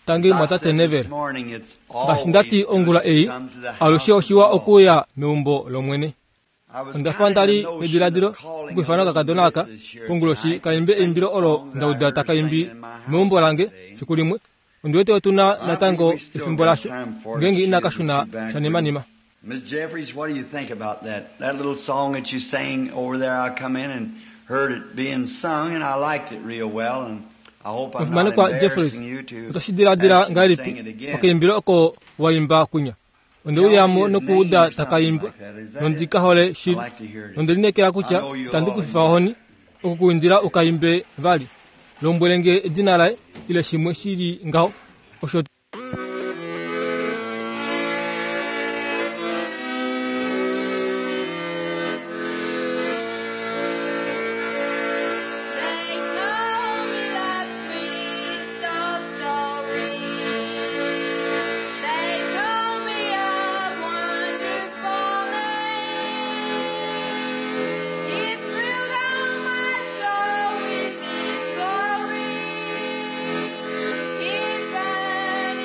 Tangi As I mwatate said Neville. this morning, it's Ngaashi nda ti always good ongula to ei, come to the alushe house of oshiwa the Lord. okuuya meumbo lOmwene. I was Onda fa kind nda of li in the notion nediladilo of calling okuifana a little okakadona aka missus here konguloshi tonight ka imbe and sing eimbilo a olo song that nda I uda heard taka imbi singing in my house meumbo lange today. fiku limwe. Ondi wete otu na I believe natango we still efimbo got lasho time for it ngeenge if she inaka isn't shuna too backward. shanimanima. Miss Jeffries, what do you think about that? That little song that you sang over there, I come in and heard it being sung, and I liked it real well, and I hope I'm not Omufimanekwa Jeffries, embarrassing you to oto shi diladila ask you to sing ngahelipi it again. okaimbilo oko wa imba kunya? Onde Tell uya me mo his nokuuda name or taka something imbwa, like that. Is that nondi it? ka hole I shili. like to hear it Nonde again. lineekela I kutya know you'll itandi all ku fifa enjoy it. ohoni okukuindila u ka imbe vali. Lombwele nge edina laye ile shimwe shi li ngaho. Osho They told me the sweetest old story. They told me a wonderful name. It thrilled all my soul with its glory. It burned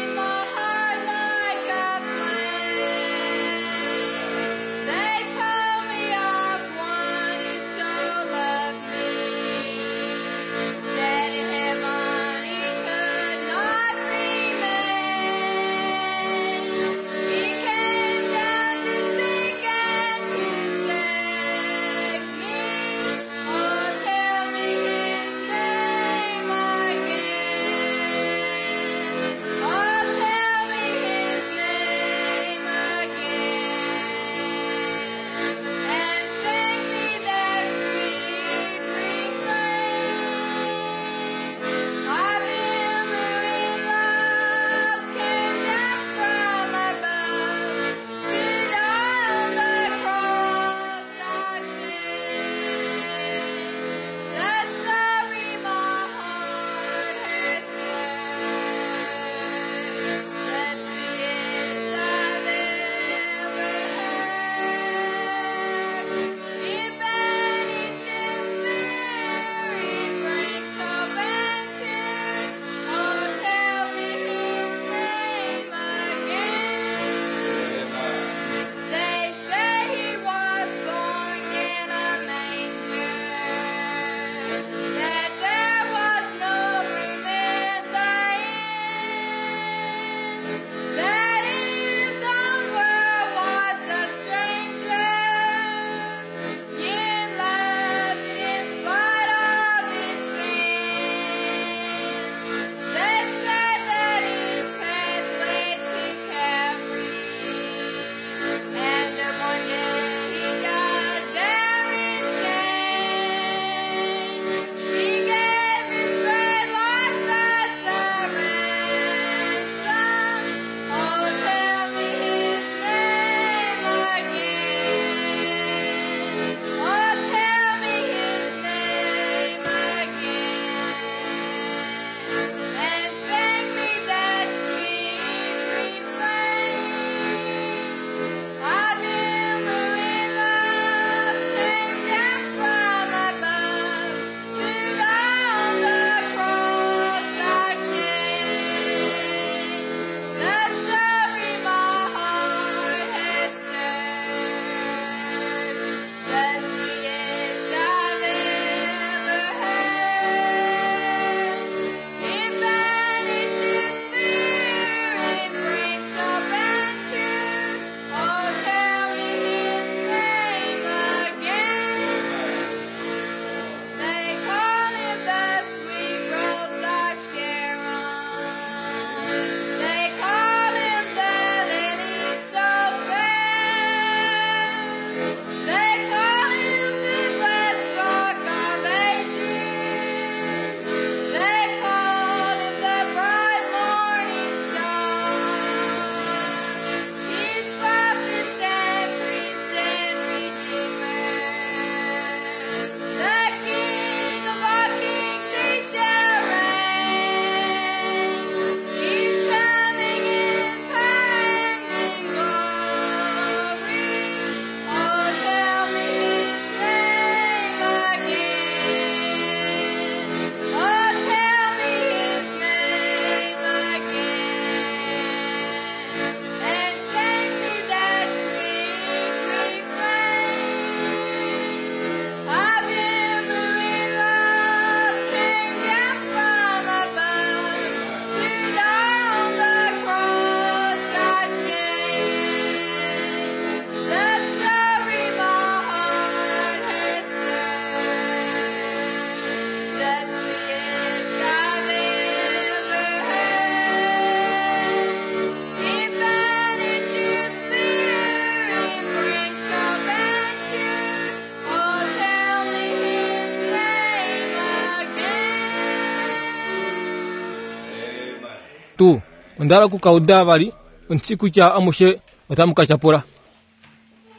Tuu, onda hala oku ka uda vali, ondi shii kutya amushe otamu ka tyapula.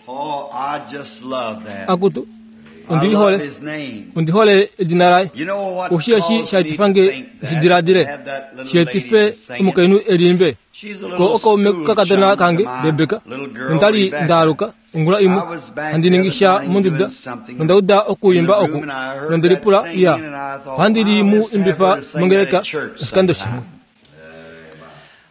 Oh, I just love that. Akutu, I ondi li love hole. his name. Ondi hole edina laye. You know what Oshi eshi caused sha me to etifa nge think ndi that, diladile, to have that little shi etife lady to sing it. omukainhu e liimbe. She's a Ko little okaume school kakadona chum to kange my Rebeka, little girl nonda li Rebecca. nda aluka ongula imwe I was back handi the ningi other sha morning monduda doing something nonda uda in the okuimba room oku and I heard nonde that lipula singing iya and I thought, ohandi li wow, mu let's have imbifa her to sing that mongeleka at church oshikando shimwe. sometime.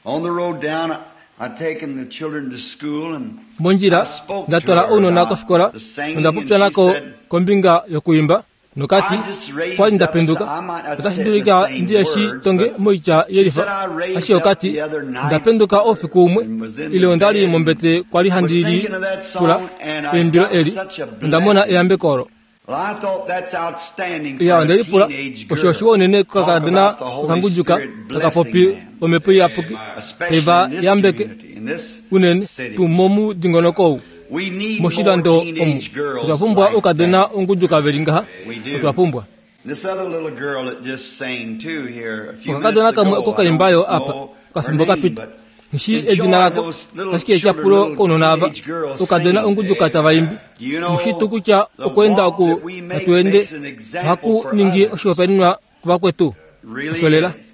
On the road down, I'd taken the children to school and Mondjila I spoke nda to twala her ounona about kofikola the singing nonda and popya she nako said, kombinga yokuimba nokati I just raised kwali nda up penduka some- I might not otashi say dulika the same ndi eshi words, tonge but moitya she yelifa said I raised ashike up okati the other night nda penduka oufiku umwe and was in ile the onda li bed mombete kwali was handi li thinking of that song pula and I eimbilo got eli such a onda mona blessing. eyambeko olo. Well, I thought that's outstanding for Ya a onde lipula teenage osho girl. oshiwa unene Talk kokakadona about the Holy okangujuka Spirit taka popi blessing them, omhepo iyapuki especially taiva in this yambeke community, in this unene city. tuu momudingonoko ou We need more moshilando omu teenage girls otwa pumbwa like oukadona that. ongujuka veli ngaha We do. otwa pumbwa. This other little girl that just sang too here a few Okakadona minutes kamwe ago, oko I kaimbayo don't apa know okafimbo her name, kapita but nshi enjoy edina lako those little ashike children, etyapulo little kounona ava teenage girls oukadona singing. ongujuka tava imbi Do you know mushitu kutya the okweenda walk oku that we make hatu ende makes an example ohaku for ningi others? oshihopaenenwa kuvakwetu Really osho lela. is.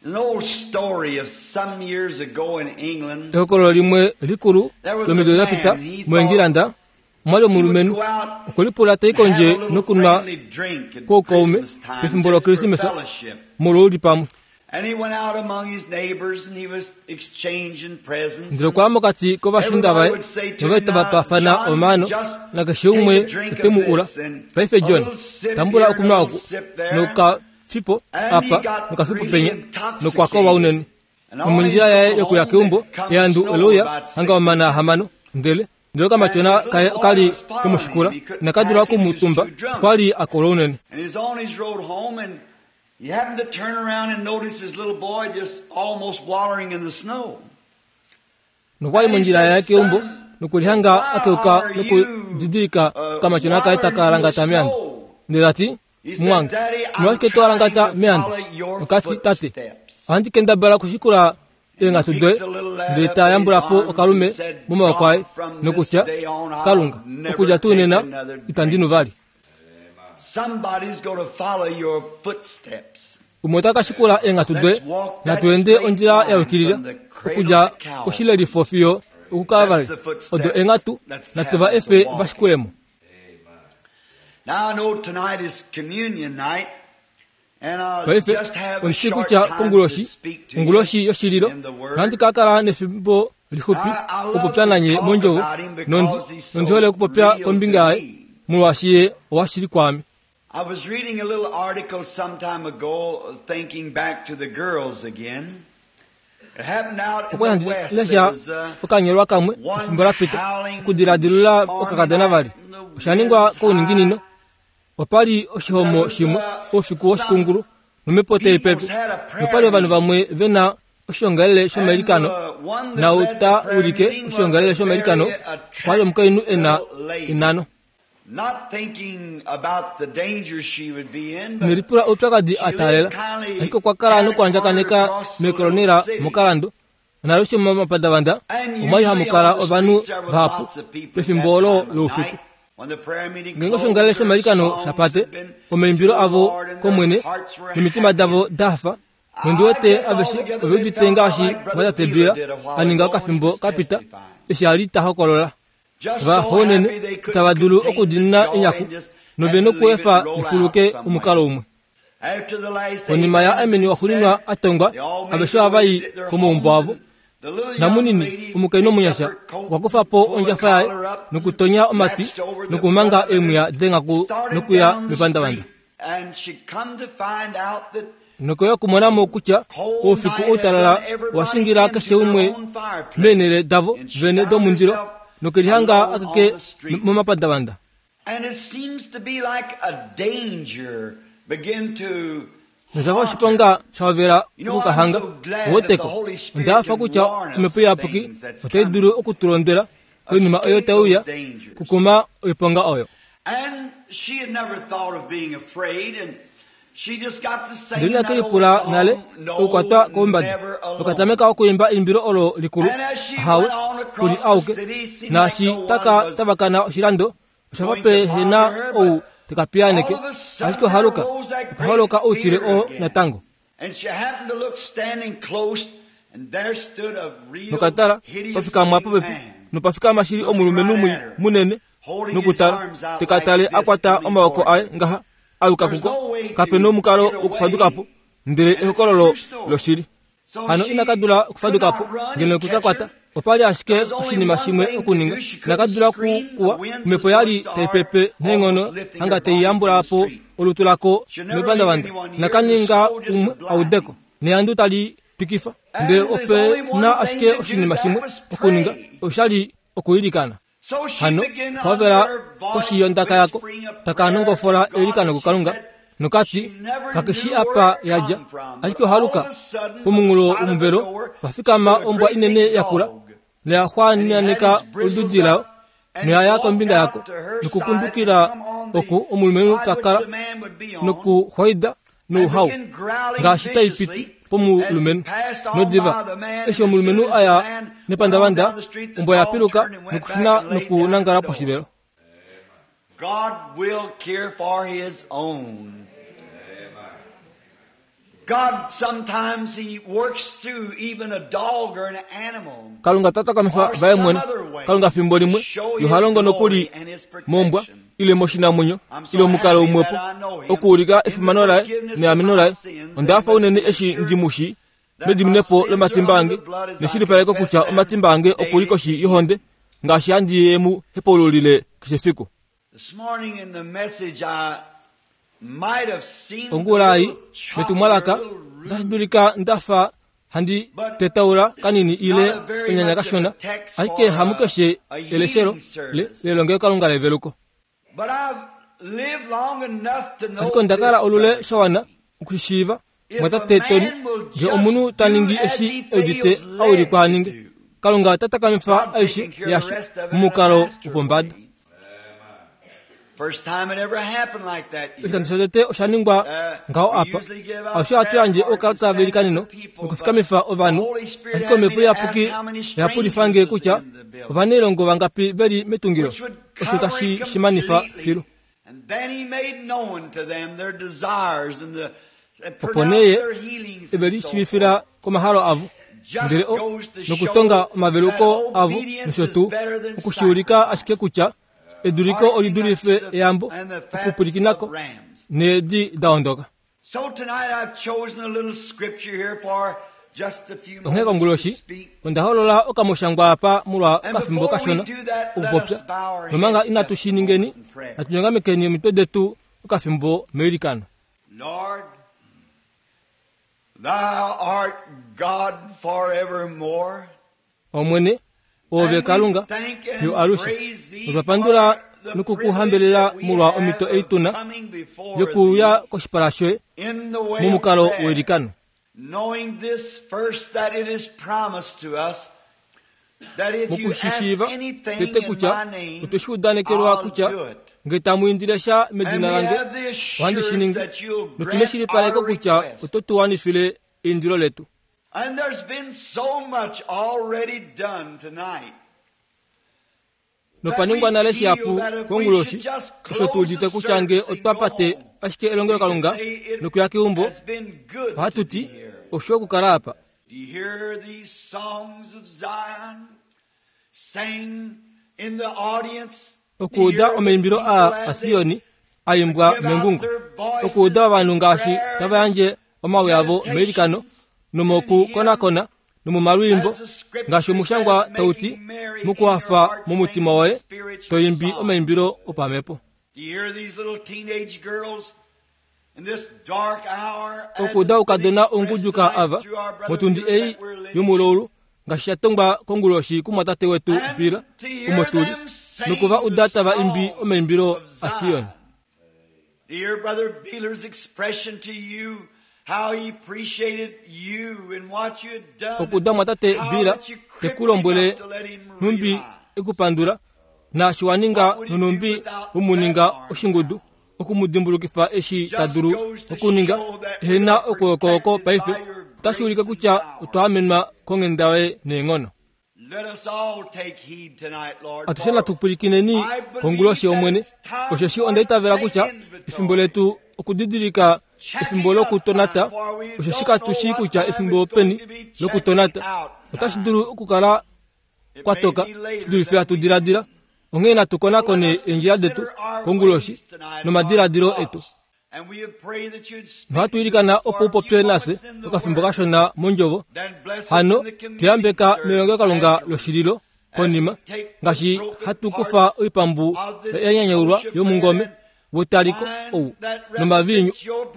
An old story of some years ago in England. Ehokololo limwe likulu There was a lomido da pita man, he moEngilanda thought omwa li he would omulumenhu go out okwe lipula tai and have a kondje little nokunwa friendly drink at koukaume Christmas time pefimbo just for loKrismesa fellowship. molwouli pamwe. And he went out among his neighbors and he was exchanging presents. Ndele okwa ya mokati kovashiinda Everybody vaye would say to nova him, tava Now, paafana John, omaano just nakeshe umwe take a drink ote mu of ula this and paife a John little sip tambula here and a okunwa little oku sip there. nokafipo And he apa got nokafipo really penya nokwa kolwa intoxicated. unene And on his nomondjila yaye road yokuya home keumbo there comes eandu snow ole uya about hanga 6 omana inches. ahamano ndele ndele And okamatyona his little kaye boy okali was following kemushikula him. He couldn't inakadula pack him, he was okumutumba too drunk. okwali a kolwa unene. And he's on his road home, and he happened to turn around and notice his little boy just almost wallowing in the snow. Nokwali And he mondjila said, yaye keumbo Son, nokulihanga why akeuka are you nokudidilika okamatyona kaye wallowing taka in the alangata meando. snow? Ndele ta ti, He said, Mumwange, Daddy, I'm omolwashike to trying alangata to meando? follow your Okati, Tate, footsteps. ohandi kendabala okushikula And he eenghatu picked doye. the little lad Ndele up ta in his yambula po arms and okalume said, momaoko aye God, from this nokutya, day on, I'll Kalunga, never okudja tuu take nena another itandi drink. nu vali. Somebody's going to follow your footsteps. Umwe ota ka shikula eenghatu doye, Let's walk that natu ende straight ondjila ya line yukilila from the cradle okudja to Calvary. koshilelifo fiyo okuKalvari. That's the footsteps. Odo eenghatu Let's natu va have efe to walk. va shikulemo. Now I know tonight is communion night, and I'll Paife just have a ondi shii short kutya time to konguloshi speak to you onguloshi yoshililo in the Word. nohandi ka kala nefimbo lixupi I, I love okupopya to nanye talk mondjovo about him nondi because he's nondi hole so okupopya real kombinga to yaye me. molwaashi ye owashili kwaame. I was reading a little article some time ago, thinking back to the girls again. It happened out in Okwa the handi West. There lesha was okanyolwa kamwe one efimbo la pita howling okudiladilula stormy okakadona night vali and the osha ningwa winds kouninginino high. opali oshihomo There was shimwe oufiku woshikungulu some nomhepo tai pepe peoples had a prayer nopali ovanhu meeting. vamwe ve na oshiongalele And shomailikano the one that nau led the ta prayer ulike meeting was oshiongalele a shomailikano very okwali omukainhu e na attractive little lady. enano Not thinking about the danger she would be in, but nelipula oupyakadi she a taalela lived kindly ashike okwa kala down a corner nokuandjakaneka across the little meekolonela city. mokalando naalushe momapandavanda And omwali hamu usually kala on the ovanhu streets there was vahapu lots of people at pefimbo that olo time of loufiku. night. When the prayer meeting Ngeenge closed, oshiongalele their shomailikano songs sha pate had been to omaimbilo the avo Lord and their kOmwene hearts were nomitima happy. davo da hafa nondi I wete guess aveshe altogether ove they udite felt ngaashi like Brother mwatate Beeler Beeler did a while a ninga ago when he okafimbo was ka pita testifying. eshi a li ta hokolola. Just Va so hounene happy they couldn't itava dulu contain the okudiinina joy enyaku and just nove had to leave it nokuefa roll out lifuluke somewhere. omukalo umwe. After the last Konima ya amen ameni had waxuuninwa said, a tongwa they all made aveshe their ova way i to their komaumbo homes avo. and the little young Namunini lady omukainhu picked up omunyasha her coat okwa kufa po pulled the ondjafa yaye collar up and nokutonya omatwi latched over the nokumanga front of it eemwiya and denghaku started nokuya down the mepandavanda. street. And she come to find out that Nokoya okumona mo kutya cold oufiku night had outalala done everybody owa shingila into keshe their umwe own fireplace. meenhele davo And she vene found domundilo herself nokelihanga alone akeke on the streets. momapandavanda. And it seems to be like a danger begin to Noshafa haunt her. oshiponga sha hovela You know, I'm okukahanga so glad that the owoteko. Holy Spirit Onda hafa can kutya warn us omhepo of iyapuki things that's otai dulu coming. okutulondwela koinima oyo Escape tai uya those dangers. kukuma oiponga oyo. And she had never thought of being afraid, and Ndele inake lipula nale okukwatwa koumbada. Okatameka okuimba eimbilo olo likulu, Ahawe, ku li auke. Naashi taka tavakana oshilando, osha fa pe he na ou te ka piyaaneke, ashike ohaluka, opa holoka outile oo natango. Nokatala, pa fikama popepi, nopa fikama shili omulumenhu mwii munene, nokutala, te ka tale a kwata omaoko aye ngaha, a yuka kuko. Kape nomukalo wokufaduka po, ndele ehokololo loshili. Hano ina ka dula okufaduka po, ngeno okwe ka kwata. Opa li ashike oshinima shimwe okuninga. Ina ka dula ku kuwa, omhepo ya li tai pepe neenghono hanga tai yambula po olutu lako mepandavanda. Ina ka ninga umwe a ude ko, nehandu tali twikifa. Ndele ope na ashike oshinima shimwe okuninga, osha li okwiilikana. Hano hovela koshi yondaka yako, taka nongofola eilikano kuKalunga, nokati kake shi apa ya dja. Ashike ohaluka, pomunghulo womuvelo pa fikama ombwa inene ya kula, noya xwaananeka olududi layo, noya ya kombinga yako, nokukundukila oku omulumenhu ta kala, nokuxwaida nouhau ngaashi tai piti pomulumenhu. Nodiva eshi omulumenhu a ya nepandavanda, ombwa ya piluka nokushuna nokunangala poshivelo. God will care for his own. God sometimes he works through even a dog or an animal. Kalunga ta takamifa vaye mwene. Kalunga fimbo limwe yo ha longo nokuli mombwa ile moshinamwenyo ile omukalo umwepo okuulika efimano laye neameno laye. Onda hafa unene eshi ndi mu shii mediminepo lomatimba ange neshilipaleko kutya omatimba ange oku li koshi yohonde ngaashi handi ye mu hepaululile keshe fiku. Ongula ei, metumwalaka, otashi dulika nda fa handi tetaula kanini ile onyanya kashona, ashike hamukeshe eleshelo le, lelongelokalunga leveluko. Ashike onda kala olule sha wana okushishiiva, mwatate Tony, nge omunhu ta ningi eshi e udite a wilikwa a ninge, Kalunga ota takamifa aishe yasho momukalo wopombada. Oshikando shotete osha ningwa ngaho apa. Alushe ohatu yandje oukalata veilikaneno nokufikamifa ovanhu, ashike Omhepo Iyapuki oya pulifa nge kutya ovanailongo vangapi ve li metungilo, osho tashi shi manifa filu. Opo nee ye e ve lishiivifila komahalo avo, ndele o nokutonga omaveluko avo nosho tuu, oku shi ulika ashike kutya eduliko oli dulife eyambo okupwilikina ko needi da ondoka. Onghee konguloshi onda holola okamushangwa apa molwa okafimbo kashona okupopya, nomanga inatu shi ningeni, natu nyongamekeni omitwe detu okafimbo meilikano. Lord, thou art God forevermore. Omwene, oove Kalunga fiyo alushe. Otwa pandula noku ku hambelela molwa omhito ei tu na yokuuya koshipala shoye momukalo weilikano. Knowing this first that it is promised to us that if you ask Mokushishiiva anything tete in kutya my name, otwe shi udanekelwa I'll kutya do it. nge tamu indile sha And medina we lange, have the ohandi shi assurance ningi. that you'll Notu grant our neshilipaleko kutya request. oto tu wanifile eindilo letu. And there's been so much already done tonight. Nopa ningwa nale shihapu konguloshi, osho tu udite kutya nge otwa pate ashike elongelokalunga nokuya keumbo, ohatu ti, Oshiwa okukala apa. Do you hear these songs of Zion sang in the audience? Okuuda omaimbilo aa aSioni a imbwa mengungo, okuuda ovanhu ngaashi tava yandje omawi avo meilikano nomokukonakona nomomalwiimbo, ngaashi omushangwa tau ti, mokuhafa momutima woye to imbi omaimbilo opamhepo. Do you hear these little teenage girls in this dark hour as Okuuda it's been oukadona expressed onguduka tonight ava through our brother motundi Bill ei that we're living? yomulaulu, ngaashi sha tongwa konguloshi kumwatate wetu And Bill, to hear omo tu li, them sing noku va uda the tava imbi song omaimbilo of aSion. Zion. To hear Brother Beeler's expression to you, how he appreciated you and what you had done, Okuuda mwatate how Bill that you te cripped ku him lombwele up to let him nhumbi realize. e ku pandula, naashi wa ninga What would he do nonhumbi without we mu that ninga arm? oshingudu. oku mu dimbulukifa eshi ta dulu okuninga ehena okwooko paife otashi ulike kutya otwa amenwa konghenda yoye neenghono. Atushe natu pwilikineni konguloshi yOmwene, osheshi onda itavela kutya efimbo letu okudidilika efimbo lokutonata, osheshi katu shii kutya efimbo openi lokutonata. Otashi dulu okukala kwa toka shi dulife hatu diladila. Onghee natu konakone eendjila detu konguloshi nomadiladilo etu. Nohatu ilikana opo u popye nafye okafimbo kashona mondjovo. Hano tu yambeka melongelokalunga loshililo konima, ngaashi hatu kufa oipambu ya nyanyaulwa yomungome wetaliko ou nomaviinyu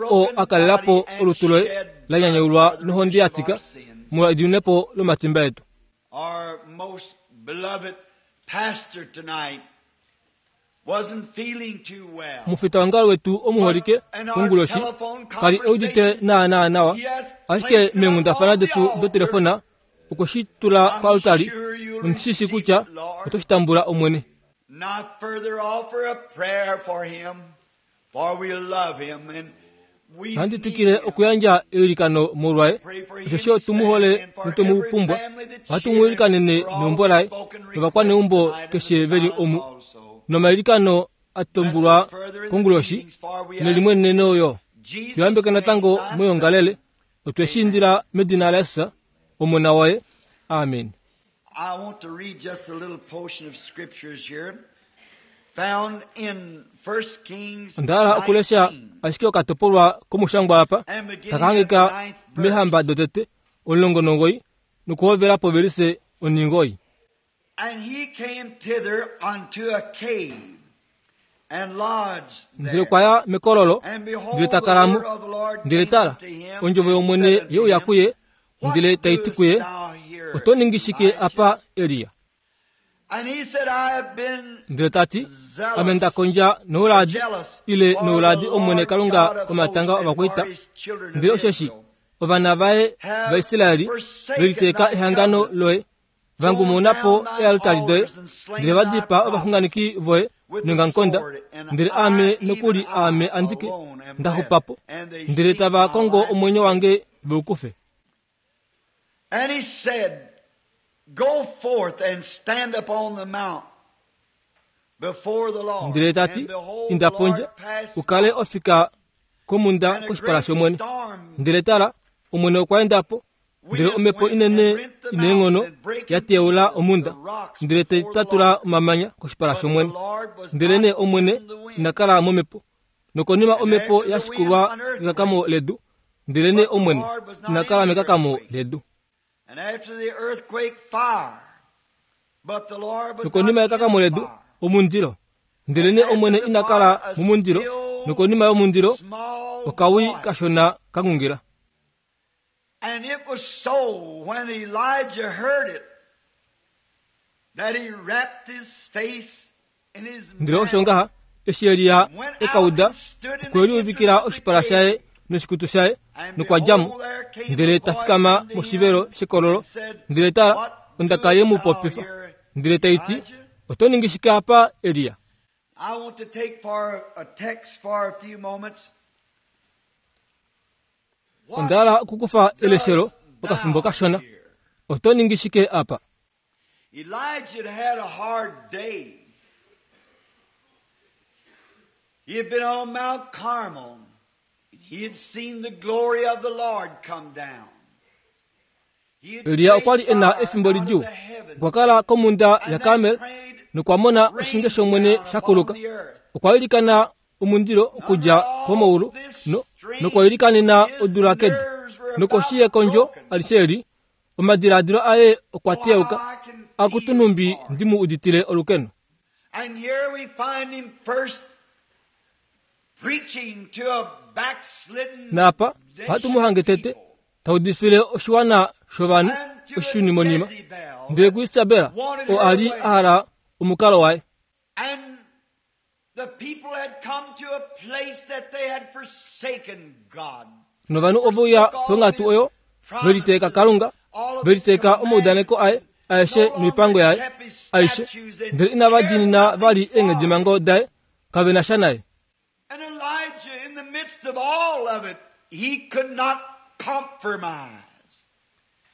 oo a kalela po olutu loye la nyanyaulwa nohonde ya tika molwa ediunepo lomatimba etu. Our most beloved pastor tonight wasn't feeling too well. Omufitaongalo wetu omuholike konguloshi ka li e udite naanaa nawa, ashike meenghundafana detu dotelefona okwe shi tula koaltari. Ondi shi shii kutya oto shi tambula, Omwene. And I further offer a prayer for him, for we love him and we Ohandi need twikile him. okuyandja eilikano molwaye, Pray for him, osheshi his otu mu hole family, and for notu mu every pumbwa. family that's Ohatu here mu and ilikanene for all neumbo laye spoken requests novakwaneumbo tonight and the keshe ve li silent omu, also. nomailikano a Bless us tumbulwa further in the konguloshi meetings, for we ask nelimweneno yo. Jesus' Tuyambeke name, natango thy moyoongalele, Son. otwe shi Amen. indila medina laJesus, Omona waye. Amen. I want to read just a little portion of scriptures here found in 1 Kings Onda hala okulesha 19 ashike okatopolwa komushangwa apa and beginning taka at the hangika ninth mEehamba verse. dotete 19 nokuhovela povelise onhingoyi. And he came thither unto a cave and lodged Ndele there. okwa ya mekololo, And ndele behold, ta the kala mo. word of the Lord Ndele came tala, unto him ondjovo and yOmwene said unto ye uya him, kuye, ndele What tai ti doest kuye, thou here, Oto ningi shike Elijah? apa, Elia? And he said, I have been Ndele ta ti, Ame nda zealous, kondja nouladi, jealous ile for the nouladi Omwene Lord Kalunga God of komatanga hosts and for ovakwaita. his children of Ndele osheshi Israel ovana vaye have vaIsraeli ve forsaken liteeka thy ehangano covenant, loye, va thrown ngumuna po down thine eealtari doye, altars and slain ndele va thy dipaa prophets ovaxunganeki voye with the neongamukonda, sword, and ndele I, aame even nokuli I aame andike alone, am nda left, xupa po, and they ndele seek tava my kongo life. omwenyo wange ve u kufe. And he said, Go forth and stand upon the mount before the Lord. Ndele ta ti, And behold, the Inda Lord pondje, passed u kale by, ofika komhunda and a koshipala great shOmwene. storm Ndele tala, Omwene okwa enda po, ndele wind omhepo went and inene rent the ina eenghono mountain and brake ya in teyaula pieces omhunda, the rocks ndele tai before the tatula Lord. omamanya koshipala But the shOmwene. Lord was Ndelenee not Omwene in the wind. ina kala momhepo. Nokonima And omhepo after ya the wind, shikulwa an earthquake. kekakamo ledu, ndelenee But the Omwene Lord was not ina in kala the mekakamo earthquake. ledu. And after the earthquake, fire. But the Lord was Nokonima not in yekakamo the ledu, fire. omundilo. And Ndelenee after Omwene the ina fire, kala a momundilo. still Nokonima yomundilo, small okawi voice. kashona ka ngungila. And it was so when Elijah heard it that he wrapped his face in his Ndele osho mantle ngaha, eshi Elia and went e ka out uda, and stood in okwe the liuvikila entrance of the oshipala cave. shaye noshikutu shaye, And nokwa dja mo, behold, there came a ndele ta voice fikama unto moshivelo him shekololo, and said, ndele tala, What ondaka ye doest mu thou popifa, here, ndele tai ti, Elijah? Oto ningi shike apa, Elia? I want to take for a text for a few moments. Onda What hala okukufa eleshelo dost okafimbo thou kashona. here? Oto ningi shike apa? Elijah had had a hard day. He had been on Mount Carmel. He had seen the glory of the Lord come down. He had Elia prayed okwa li e na fire efimbo out of lidjuu. the heavens Okwa kala komhunda and then yaKarmel prayed nokwa mona oshinge rain shOmwene down sha upon kuluka. the earth. Okwa ilikana omundilo okudja Under all komaulu this no, strain, nokwa ilikanena his odula kedu. nerves were Nokoshi about yekondjo broken. alishe eli, omadiladilo aye okwa Oh, how teyauka. I can Akutu feel nhumbi for him. ndi mu uditile olukeno. And here we find him first preaching to a backslidden Naapa ohatu mu nation hange of tete people ta udifile oshiwana shovanhu and to a oshishunimonima. Jezebel Ndele that kuIsabela wanted oo a her li way. a hala omukalo waye. And the people had come to a place that they had forsaken God, Novanhu ove uya forsook all of ponghatu his oyo ve liteeka promises, Kalunga, all of ve his liteeka omaudaneko commandments, aye and aeshe no noipango longer yaye kept his aishe, statutes and ndele inava cared diinina nothing vali for eenghedimhango daye, kave na sha naye. And Elijah, in the midst of all of it, he could not compromise.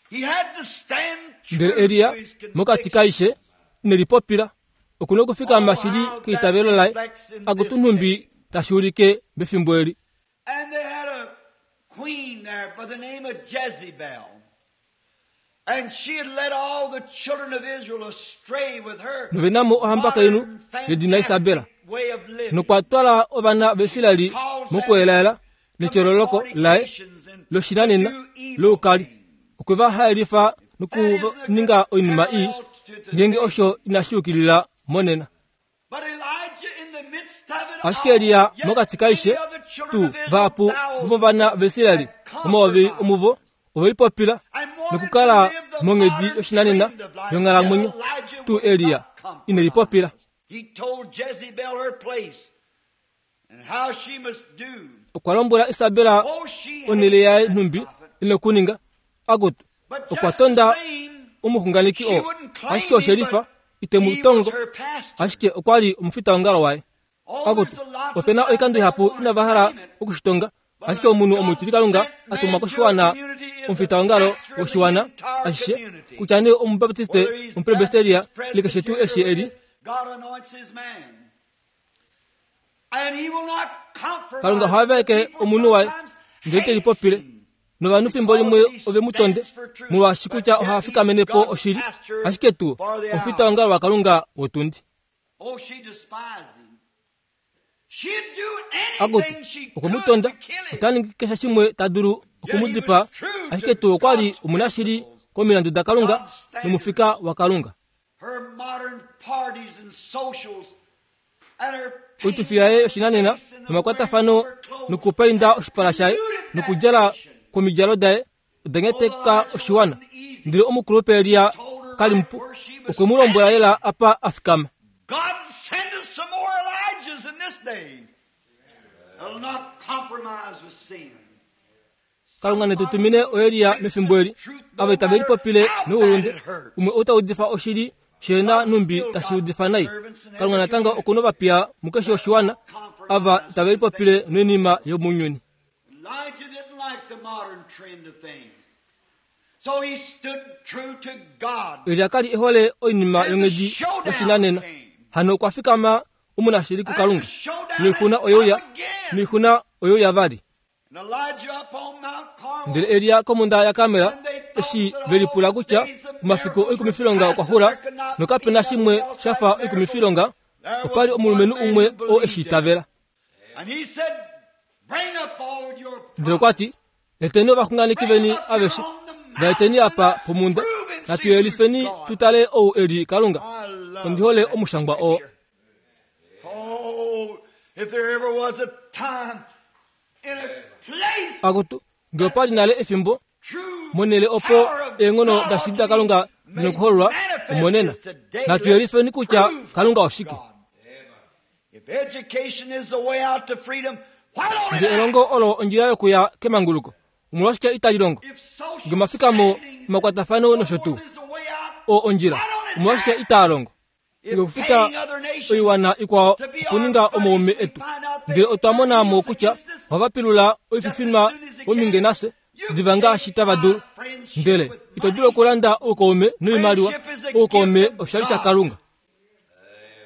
He had to stand true Ndele Elia to his mokati conviction. kaishe inelipopila okuna okufikama shili keitavelo laye akutu nhumbi tashi ulike mefimbo eli. And they had a queen there by the name of Jezebel. And she had led all the children of Israel astray with her Novenamo ohambakainhu modern, yedina Isabela. fantastic way of living. Nokwa twala ovana vaIsraeli mokuelaela netyololoko laye loshinanena loukali. Okwe va haelifa nokuninga oinima ii ngeenge osho inashi yukilila monena. But Elijah in the midst of it Ashike Elia all, yet mokati kaishe many other children tuu of Israel, vahapu thousands, vomovana vaIsraeli omayovi omuvo ove lipopila and wanted nokukala to live the monghedi modern yoshinanena trend of life. yonghalamwenyo Yet Elijah tuu would Elia not compromise. ine lipopila. He told Jezebel her place and how she must do. Okwa lombwela Isabela Oh, she onhele hated yaye that nhumbi prophet. ine okuninga akutu But okwa just the tonda same, omuxunganeki she oo wouldn't claim ashike him, oshelifa but ite he mu was tongo her pastor. ashike okwa li omufitaongalo waye. Oh, Akutu there's a lot of opena times oikando they ihapu don't want inava to hala claim it. okushitonga ashike omunhu omutilikalunga atumwa koshiwana omufitaongalo woshiwana ashishe kutya nee omubaptiste Whether he's omupresbyteria Baptist, ile keshe tuu eshi eli God anoints his man. And he will not compromise. Kalunga oha vaeke People omunhu waye sometimes ndele te hate lipopile him. novanhu fimbo limwe ove mu tonde molwaashi kutya oha fikamene po oshili ashike tuu omufitaongalo wakalunga wotundi. Oh, she despised him. She'd do Akutu anything she okwe mu could tonda to kill him. ota ningi keshe shimwe ta dulu okumudipaa ashike tuu okwa li omunashili komilandu dakalunga nomufika wakalunga. Her modern parties and socials and her Oitufi yaye yoshinanena nomakwatafano nokupainda oshipala shaye nokudjala kwomidjalo daye oda nyateka oshiwana. Ndele omukulupe Elia kali mupu okwe mu lombwela lela apa a fikama. God send us some more Elijahs in this day. They'll not compromise with sin. Kalunga netu tumine oElia mefimbo eli ava itave lipopile noulunde umwe ou ta udifa oshili shena nhumbi tashi udifa nai. Kalunga natango okuna ovapiya mukeshe oshiwana ava itave lipopile noinima yomounyuni. Elijah didn't like the modern trend of things. So he stood true to God. Elia kali ehole oinima yonghedi yoshinanena hano okwa fikama omunashili And kuKalunga. the showdown Noixuna has oyeuya come again. noixuna oyeuya vali. And Elijah up on Mount Carmel. Ndele Elia komhunda yaKarmel eshi ve lipula kutya omafiku oikumifilonga okwa xula nokapena shimwe sha fa oikumifilonga opa li omulumenhu umwe oo eshi itavela. And he said, Bring up all your Ndele okwa ti, eteni ovaxunganeki veni aveshe, va eteni apa pomhunda, natu yelifeni tu tale ou e li Kalunga. I love Ondi hole that omushangwa oo. picture. Oh, if there ever was a time in a place Akutu, ngee opa li nale efimbo true monhele opo power of eenghono God da shili to be daKalunga made dinokuhololwa manifest omonena. is today. Natu Let's yelifeni kutya prove Kalunga oshike. God. If education is the way out to freedom, why don't it Ngee act? elongo olo ondjila yokuya kemanguluko, omolwashike itali longo? If social Ngee omafikamo, standings omakwatafano and nosho so tuu forth is the way out, oo ondjila, why don't it omolwashike act? itaa longo? If Ngee okufuta paying other nations oiwana ikwao to be our okuninga buddies, omaume we etu find out they ndele otwa mona mo use kutya against us. ohava pilula oififinwa ominge nafye diva ngaashi tava dulu. Ndele ito dulu okulanda oukaume noimaliwa oukaume oshali shaKalunga.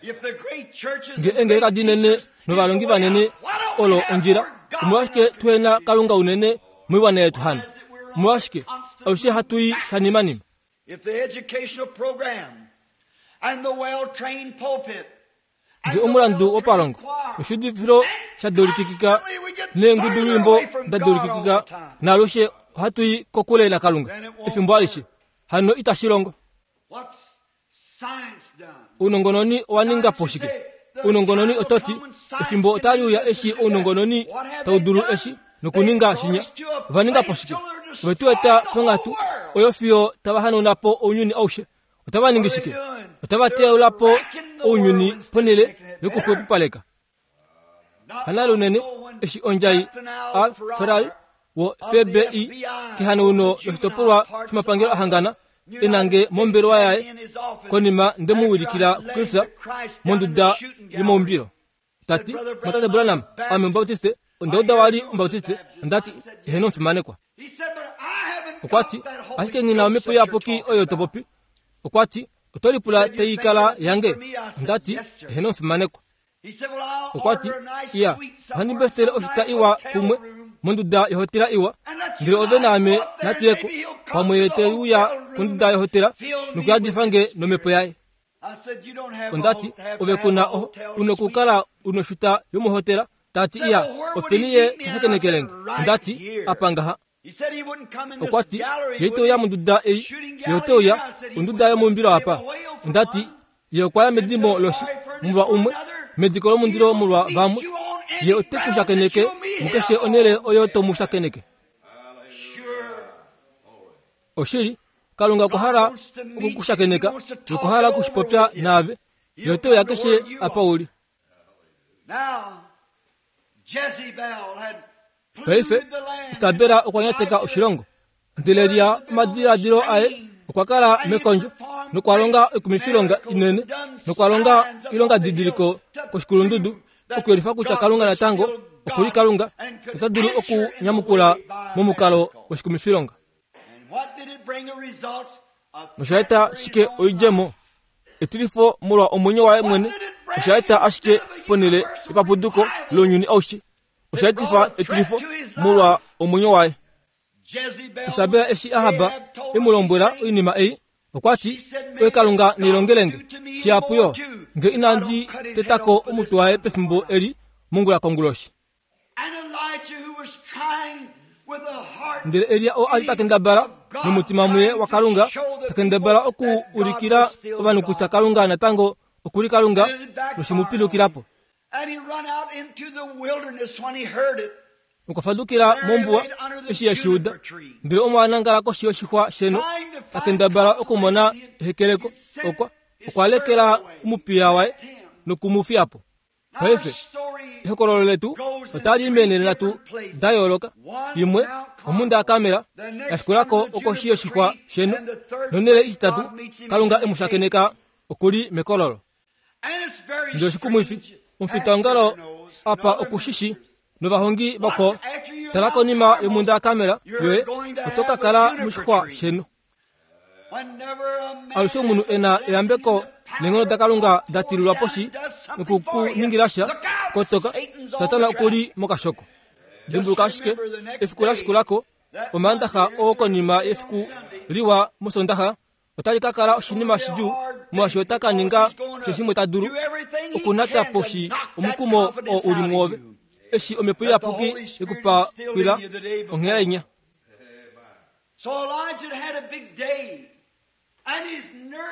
If the great churches Ngee and engeleka great dinene teachers is the novalongi way vanene out, why don't we olo have ondjila more God omolwashike in our tuhena community? Kalunga unene moiwana yetu hano? Omolwashike alushe hatu i shanimanima? If the educational program and the well-trained pulpit and Ngee the omulandu well-trained wopalongo choir, oshudifilo sha dulikikika constantly we get neengudulwimbo further away from da God all dulikikika the time. naalushe ohatu i kokule naKalunga efimbo alishe hano itashi longo. What's science done? Ounongononi owa ninga po shike? Ounongononi ototi efimbo otali uya eshi ounongononi tau dulu eshi nokuninga shinya. Ova ninga po shike? Ove tu eta ponghatu oyo fiyo tava hanauna po ounyuni aushe. Otava ningi shike? Otava teyaula po ounyuni ponhele yokuxwepopaleka. Hanale unene eshi ondjai Al Ferrari wo FBI kehanauno loshitopolwa shomapangelo ahangana enange mombelewa yaye konima nde mu wilikila kuKristus monduda yomaumbilo. Tati, Mwatate Branham, ame Omubaptiste, Onda uda wa li Omubautiste. Onda ti, Eheno omufimanekwa. Okwa ti, Ashike nghi na omhepo iyapuki oyo to popi. Okwa ti, Oto lipula tai kala yange? Onda ti, Eheno omufimanekwa. Okwa ti, Iya, ohandi mbestele oshita iwa kumwe monduda yohotela iwa, ndele ove naame natu ye ko. Pamwe ye te uya konduda yohotela nokuyadifa nge nomhepo yaye. Onda ti, Ove ku na oho, u nokukala u noshuta yomohotela. Ta ti, Iya, openi ye ta shakenekele nge? Onda ti, Apa ngaha. Okwa ti, Ye ite uya monduda ei, ye ote uya onduda yomuumbilo apa. Onda ti, Ye okwa ya medimo loshi molwa umwe, mediko lomundilo molwa vamwe. Ye ote ku shakeneke mukeshe onhele oyo to mu shakeneke. Oshili, Kalunga okwa hala oku ku shakeneka nokwa hala oku shi popya naave. Ye ote uya keshe apa u li. Paife, Isabela okwa nyateka oshilongo. Ndele Elia omadiladilo aye okwa kala mekondjo nokwa longa oikumifilonga inene nokwa longa oilongadidiliko koshikulundudu okuyelifa kutya Kalunga natango oku li Kalunga nota dulu okunyamukula momukalo woshikumifilonga. Nosha eta shike oidjemo? Etilifo molwa omwenyo waye mwene osha eta ashike ponhele yepapuduko lounyuni aushe. Osha etifa etilifo molwa omwenyo waye. Isabel eshi Ahab e mu lombwela oinima ei, okwa ti, Oye Kalunga neilongele nge shihapu yo, nge inandi teta ko omutwe waye pefimbo eli mongula konguloshi. Ndele Elia oo a li ta kendabala nomutima muye waKalunga, ta kendabala oku ulikila ovanhu kutya Kalunga natango oku li Kalunga, noshe mu pilukila po. Okwa fadukila mombuwa eshi e shi uda, ndele omo a nangala koshi yoshixwa sheno, ta kendabala okumona ehekeleko. Okwa okwa lekela omupiya waye noku mu fiya po. Paife, ehokololo letu otali i meenhele nhatu da yooloka. Imwe, omhunda yaKarmel, ya shikula ko okoshi yoshixwa sheno, nonhele ititatu, Kalunga e mu shakeneka oku li mekololo. Ndele oshikumwifi, omufitaongalo apa oku shi shi, novahongi vakwao, tala konima yomhunda yaKarmel yoye, oto ka kala moshixwa sheno. Alushe omunhu e na eyambeko neenghono daKalunga da tililwa poshi noku ku ningila sha, kotoka, Satana oku li mokashoko. Dimbuluka ashike, efiku la shikula ko, Omaandaxa oo konima yefiku liwa mOsoondaxa, otali ka kala oshinima shidjuu molwaashi ota ka ninga keshe shimwe ta dulu okunata poshi omukumo oo u li mwoove eshi omhepo iyapuki yekupakwila onghela inya.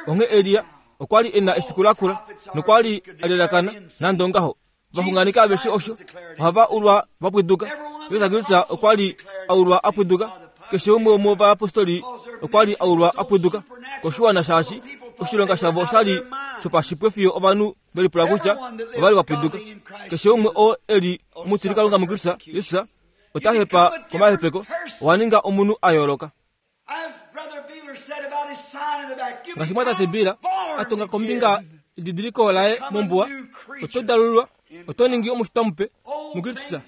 Onghee Elia okwa li e na efiku la kula nokwa li a lelakana nande ongaho. Ovaxunganeki aveshe osho ohava ulwa va pwiduka. Jesus Kristus okwa li a ulwa a pwiduka. Keshe umwe womovayapostoli okwa li a ulwa a pwiduka koshiwana shaashi oshilonga shavo osha li shopashipwe fiyo ovanhu ve lipula kutya ova li va pwiduka. Keshe umwe oo e li omutilikalunga muKristus Jesus ota hepa komahepeko, owa ninga omunhu a yooloka. Ngaashi mwatate Bill a tonga kombinga edidiliko laye mombuwa, oto dalululwa, oto ningi omushitwa mupe muKristus.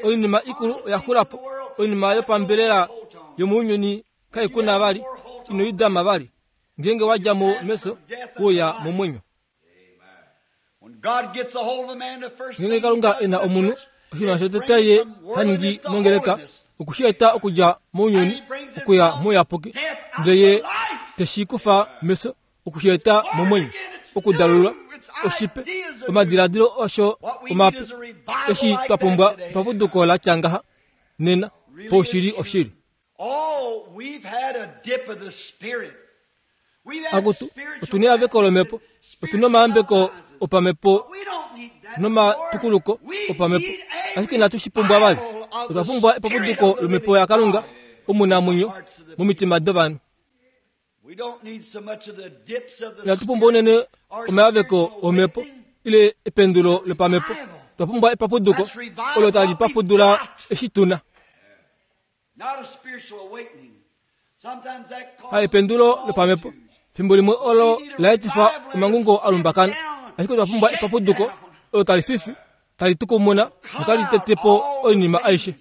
Oinima ikulu oya xula po, oinima yopambelela yomounyuni kai ku na vali, ino i dama vali. Ngeenge wa dja mo meso, uya momwenyo. Ngeenge Kalunga e na omunhu, oshinima shotete ye ha ningi mongeleka oku shi eta okudja mounyuni okuya mouyapuki, ndele ye te shi kufa mefyo oku shi eta momwenyo, okudalulwa, oshipe, omadiladilo osho omape. Eshi twa pumbwa epapuduko la tya ngaha nena, poushili oshili. Akutu, otu neyaveko lomhepo, otu nomayambeko opamhepo nomatukuluko opamhepo, ashike inatu shi pumbwa vali. Otwa pumbwa epapuduko lomhepo yaKalunga omunamwenyo momitima dovanhu. Inatu pumbwa unene omayaveko omhepo ile ependulo lopamhepo. Otwa pumbwa epapuduko olo tali papudula eshi tu na. Ha ependulo lopamhepo fimbo limwe olo la etifa omangungo a lumbakana, ashike otwa pumbwa epapuduko olo tali fifi tali tukumuna notali tete po oinima aishe.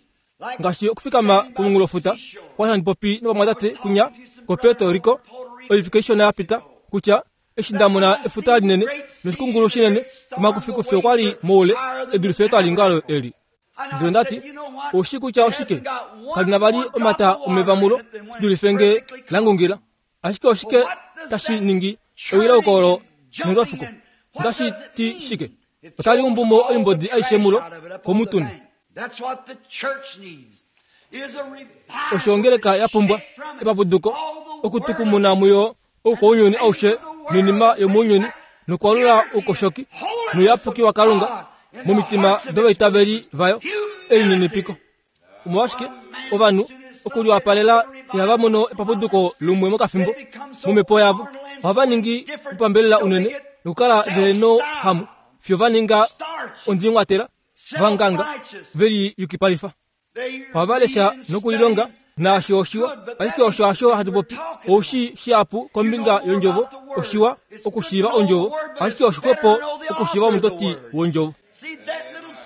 Ngaashi okufikama komunghulofuta, okwa li handi popi novamwatate kunya koPuerto Rico oivike ishona ya pita, kutya eshi nda mona efuta linene noshikungulu shinene, omakufikufi okwa li moule e dulife etwalingalo eli. Ndele onda ti, Oushi kutya oshike? Kali na vali omata omeva mulo shi dulife nge la ngungila. Ashike oshike tashi ningi ewilauko olo nolwafuko? Otashi ti shike? Otali umbu mo oimbodi aishe mulo komutune. Osho ongeleka ya pumbwa epapuduko okutukumuna muyo oukwaunyuni aushe noinima yomounyuni nokwalula oukoshoki nouyapuki waKalunga momitima dovaitaveli vayo elininipiko. Omolwashike ovanhu okuliwapalela ihava mono epapuduko lumwe mokafimbo momhepo yavo? Ohava ningi upambelela unene nokukala ve nohamu fiyo va ninga ondingwatela vanganga ve liyukipalifa. Ohava lesha nokulilonga naasho oshiwa, ashike osho hasho hatu popi. Ou shii shihapu kombinga yondjovo, oshiwa okushiiva ondjovo, ashike oshixwepo okushiiva omutoti wondjovo.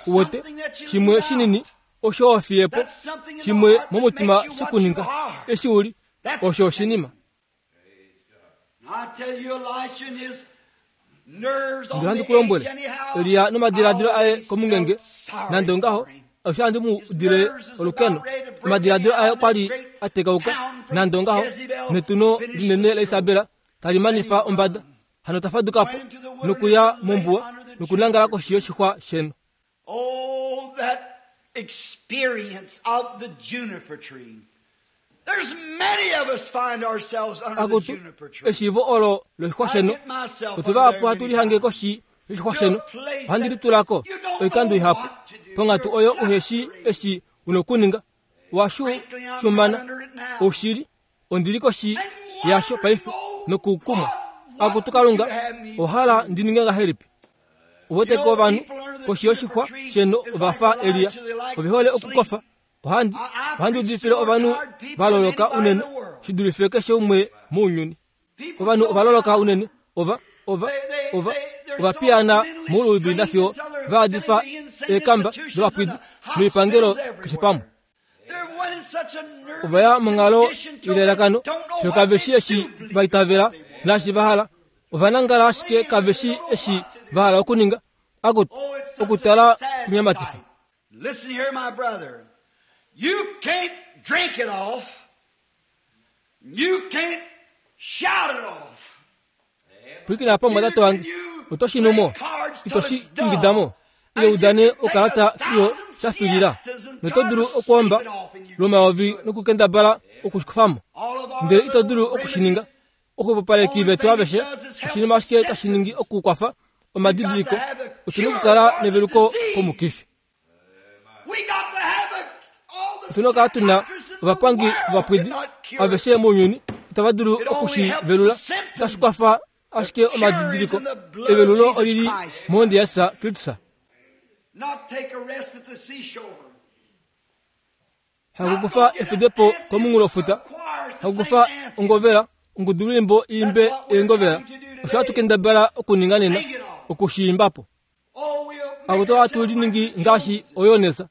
Uwete, shimwe shinini osho wa fiye po, shimwe momutima she ku ninga eshi u li, osho oshinima. Ndele handi ku lombwele, Elia nomadiladilo aye komungenge, nande ongaho, osho handi mu udile olukeno. Omadiladilo aye okwa li a tekauka, nande ongaho, netuno linene laIsabela tali manifa ombada. Hano ta faduka po nokuya mombuwa nokunangala koshi yoshixwa sheno. Oh, that experience of the juniper tree. There's many of us find ourselves under the Akutu, juniper tree. eshiivo olo loshixwa sheno. Otu vahapu hatu lihange koshi yoshixwa sheno. Ohandi litula ko oikando ihapu ponghatu oyo uhe shii eshi u na okuninga. Wa shumana oushili Ondi li koshi yasho paife nokukumwa. Akutu Kalunga, owa hala ndi ninge ngahelipi? Uwete ko ovanhu koshi yoshixwa sheno ova fa Elia. Ove hole okukofa. Ohandi, ohandi udifile ovanhu va loloka unene shi dulife keshe umwe mounyuni. Ovanhu ova loloka unene, ova, ova, ova, ova piyaana mouluvi nafiyo va yadifa eekamba dovapwidi noipangelo keshe pamwe. Ova ya monghalo ilalakano fiyo kave shi eshi va itavela naashi va hala. Ova nangala ashike kave shi eshi va hala okuninga. Akutu, okutala kunyamatifa. Listen here, my brother. You can't drink it off. You can't shout it off. Pwilikina apa omumwatate wange, oto shi nu mo, ito shi ingida mo, ile u dane okalata fiyo sha filila, noto dulu okwoomba lwomayovi nokukendabala oku shi kufa mo, ndele ito dulu oku shi ninga. Oxwepopaleki vetu aveshe, oshinima ashike tashi ningi okukwafa omadidiliko, otu na okukala neveluko komukifi. Otu na okukala tu na ovapangi vovapwidi aveshe mounyuni itava dulu oku shi velula. Otashi kwafa ashike omadidiliko. Evelulo oli li mohonde yaJesus Kristus. Hakukufa efudepo komunghulofuta, hakukufa ongovela, ongudulwiimbo i imbe eengovela. Osho hatu kendabala okuninga nena, oku shi imba po. Akutu ohatu liningi ngaashi oYones,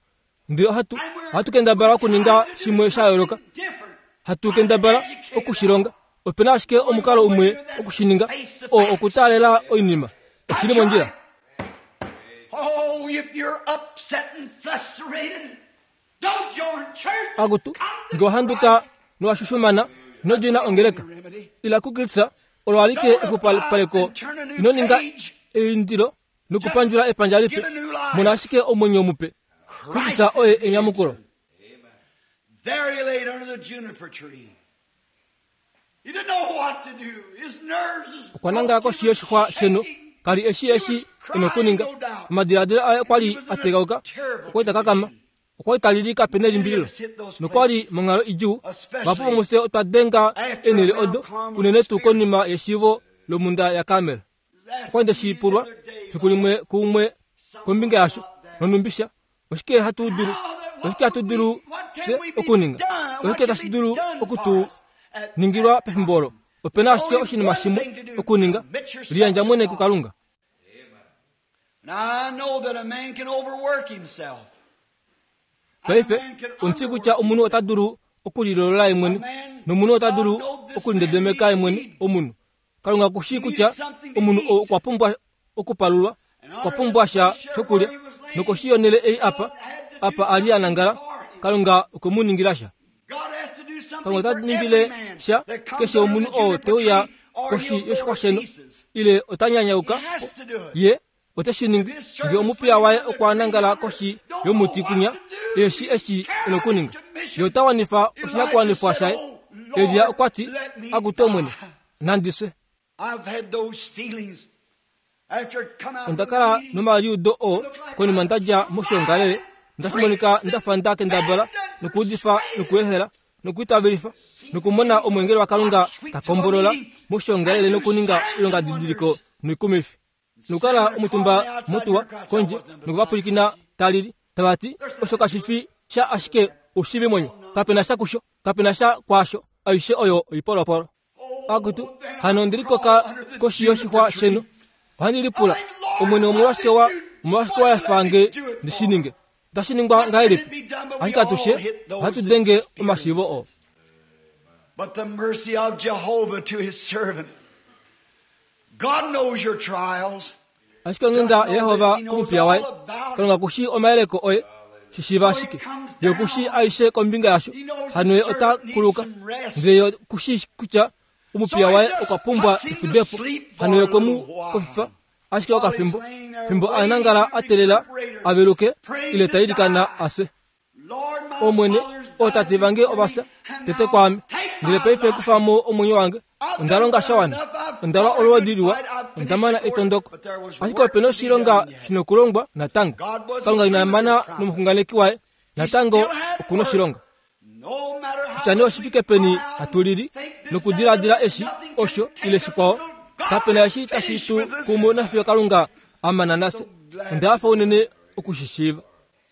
ndele ohatu, ohatu kendabala okuninga shimwe sha yooloka. Hatu kendabala oku shi longa. Ope na ashike omukalo umwe oku shi ninga, oo okutaalela oinima. Oshi li mondjila. Oh, if you're upset and frustrated, don't join church. Akutu, nge wa handuka nowa shushumana, ino djoina ongeleka. Ila kuKristus, olo alike exupaleko. Ino ninga eindilo nokupandjula epandja lipe. Mona ashike omwenyo mupe. Kristus oye enyamukulo. There he laid under the juniper tree. He didn't know what to do. His nerves was Okwa nangala koshi yoshixwa sheno. Ka li e shii eshi e na okuninga. Omadiladilo aye okwa li a tegauka. Okwa li ta kakama. Okwa li ta lili kape nelimbililo. Nokwa li monghalo idjuu. Vahapu vomufye otwa denga eenhele odo, unene tuu konima yeshiivo lomhunda yaKarmel. Okwa li nde shi pulwa fiku limwe kuumwe kombinga yasho, nonhumbi sha, oshike hatu dulu, oshike hatu dulu fye okuninga, oshike tashi dulu oku tu ningilwa pefimbo olo. Ope na ashike oshinima shimwe okuninga, liyandja mwene kuKalunga. Paife, ondi kutya omunhu ota dulu okulilolola ye mwene, nomunhu ota dulu okulindedemeka ye mwene, omunhu. Kalunga oku shii kutya omunhu oo okwa pumbwa okupalulwa, okwa pumbwa sha shokulya, nokoshi yonhele ei apa, apa a li a nangala, Kalunga okwe mu ningila sha. Kalunga ota ningile sha keshe omunhu oo te uya koshi yoshixwa sheno, ile ota nyanyauka ye ote shi ningi nge omupiya waye okwa nangala koshi yomuti kunya eshi eshi e nokuninga. Ye ota wanifa oshinakuwanifwa shaye. Elia okwa ti, Akutu Omwene, nandi fye. Onda kala nomaliudo oo konima nda dja moshiongalele, nda monika nda fa nda kendabala nokuudifa nokuehela nokuitavelifa nokumona omweengeli waKalunga ta kombolola moshiongalele nokuninga oilongadidiliko noikumifi. Nokukala omutumba motuwa kondje nokuvapwilikina ta lili, tava ti, Osho kashi fi sha ashike oushivimwenyo. Kape na sha kusho. Kape na sha kwaasho. Aishe oyo oipolopolo. Akutu, hano ondi likoka koshi yoshixwa sheno. Ohandi lipula, Omwene, omolwashike wa, omolwashike wa efa nge ndi shi ninge? Otashi ningwa ngahelipi? Ashike atushe ohatu denge omashiivo oo. But the mercy of Jehovah to his servant. God knows your trials. Ashike onghenda yaJehova komupiya waye, Kalunga ku shii omayeleko oye, shi shiiva ashike. Ye oku shii aishe kombinga yasho, hano ye ota kuluka. Ndele ye oku shii kutya omupiya waye okwa pumbwa efudepo, hano ye okwe mu kofifa ashike okafimbo, fimbo a nangala a teelela a veluke ile ta ilikana a fye. Omwene, ootate vange ova fya tete kwaame, ndele paife kufa mo omwenyo wange. Onda longa sha wana, onda lwa olwoodi liwa, onda mana etondoko. Ashike ope na oshilonga shi nokulongwa natango. Kalunga ina mana nomuxunganeki waye, natango oku na oshilonga. Kutya nee oshi fike peni hatu lili nokudiladila eshi, osho, ile shikwao, kape na eshi tashi tu kumu nafiyo Kalunga a mana nafye. Onda hafa unene oku shi shiiva.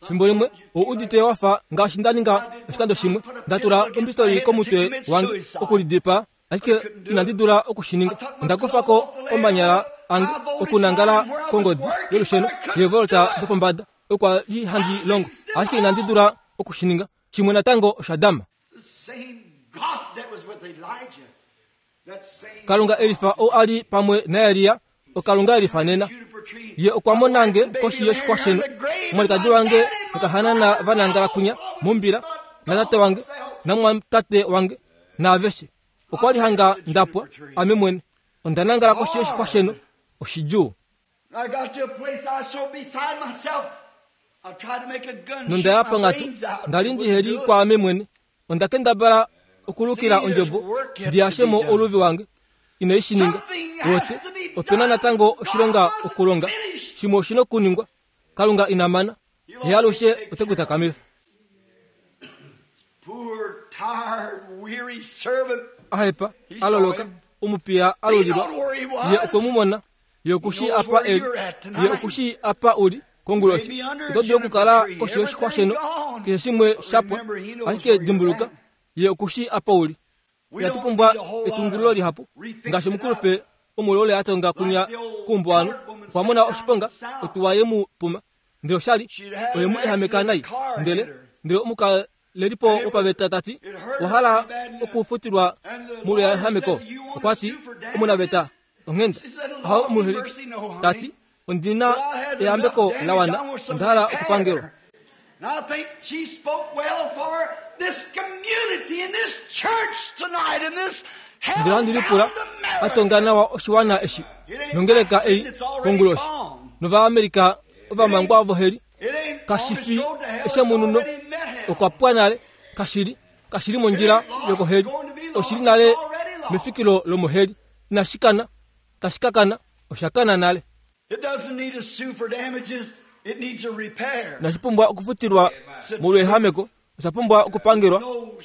Fimbo limwe ou udite wa fa ngaashi nda ninga oshikando shimwe, nda tula ombistoli komutwe wange okulidipaa, ashike inandi dula oku shi ninga. Onda kufa ko omanyala ange okunangala kongodi yolusheno yeevolta dopombada okwa li handi longo, ashike inandi dula oku shi ninga. Shimwe natango osha dama. Kalunga elifa ou a li pamwe naElia, oKalunga elifa nena. Ye okwa mona nge koshi yoshixwa sheno, omwalikadi wange nokahanana va nangala kwinya mombila, natate wange namwatate wange naaveshe. Okwa li hanga nda pwa, ame mwene. Onda nangala koshi yoshixwa sheno, oshidjuu. Nonda ya ponghatu, nda li ndihe li kwaame mwene. Onda kendabala okulukila ondjebo ndi yashe mo ouluvi wange. Inai shi ninga. Wote, ope na natango oshilonga okulonga. Shimwe oshi na okuningwa. Kalunga ina mana. Ye alushe ote ku takamifa. A hepa, a loloka, omupiya a lulilwa. Ye okwe mu mona. Ye oku shii apa e li. Ye oku shii apa u li konguloshi. Oto dulu okukala koshi yoshixwa sheno, keshe shimwe sha pwa, ashike dimbuluka, Ye oku shii apa u li. Inatu pumbwa etungululo lihapu. Ngaashi omukulupe omuloule a tonga kunya kuumbuwanhu, okwa mona oshiponga, otuwa ye mu puma. Ndele osha li, oye mu ehameka nai. Ndele, ndele omukalelipo wopaveta ta ti, Owa hala okufutilwa molweehameko? Okwa ti, Omunaveta, onghenda. Aho omuheliki ta ti, Ondi na eyambeko la wana, onda hala okupangelwa. Ndele ohandi lipula a tonga nawa oshiwana eshi nongeleka ei konguloshi nOvaamerika ovamangwa voheli kashi fi eshemununo okwa pwa nale kashi li kashi li mondjila yokoheli oshi li nale mefikilo lomoheli inashi kana tashi ka kana osha kana nale. Inashi pumbwa okufutilwa molweehameko, osha pumbwa okupangelwa.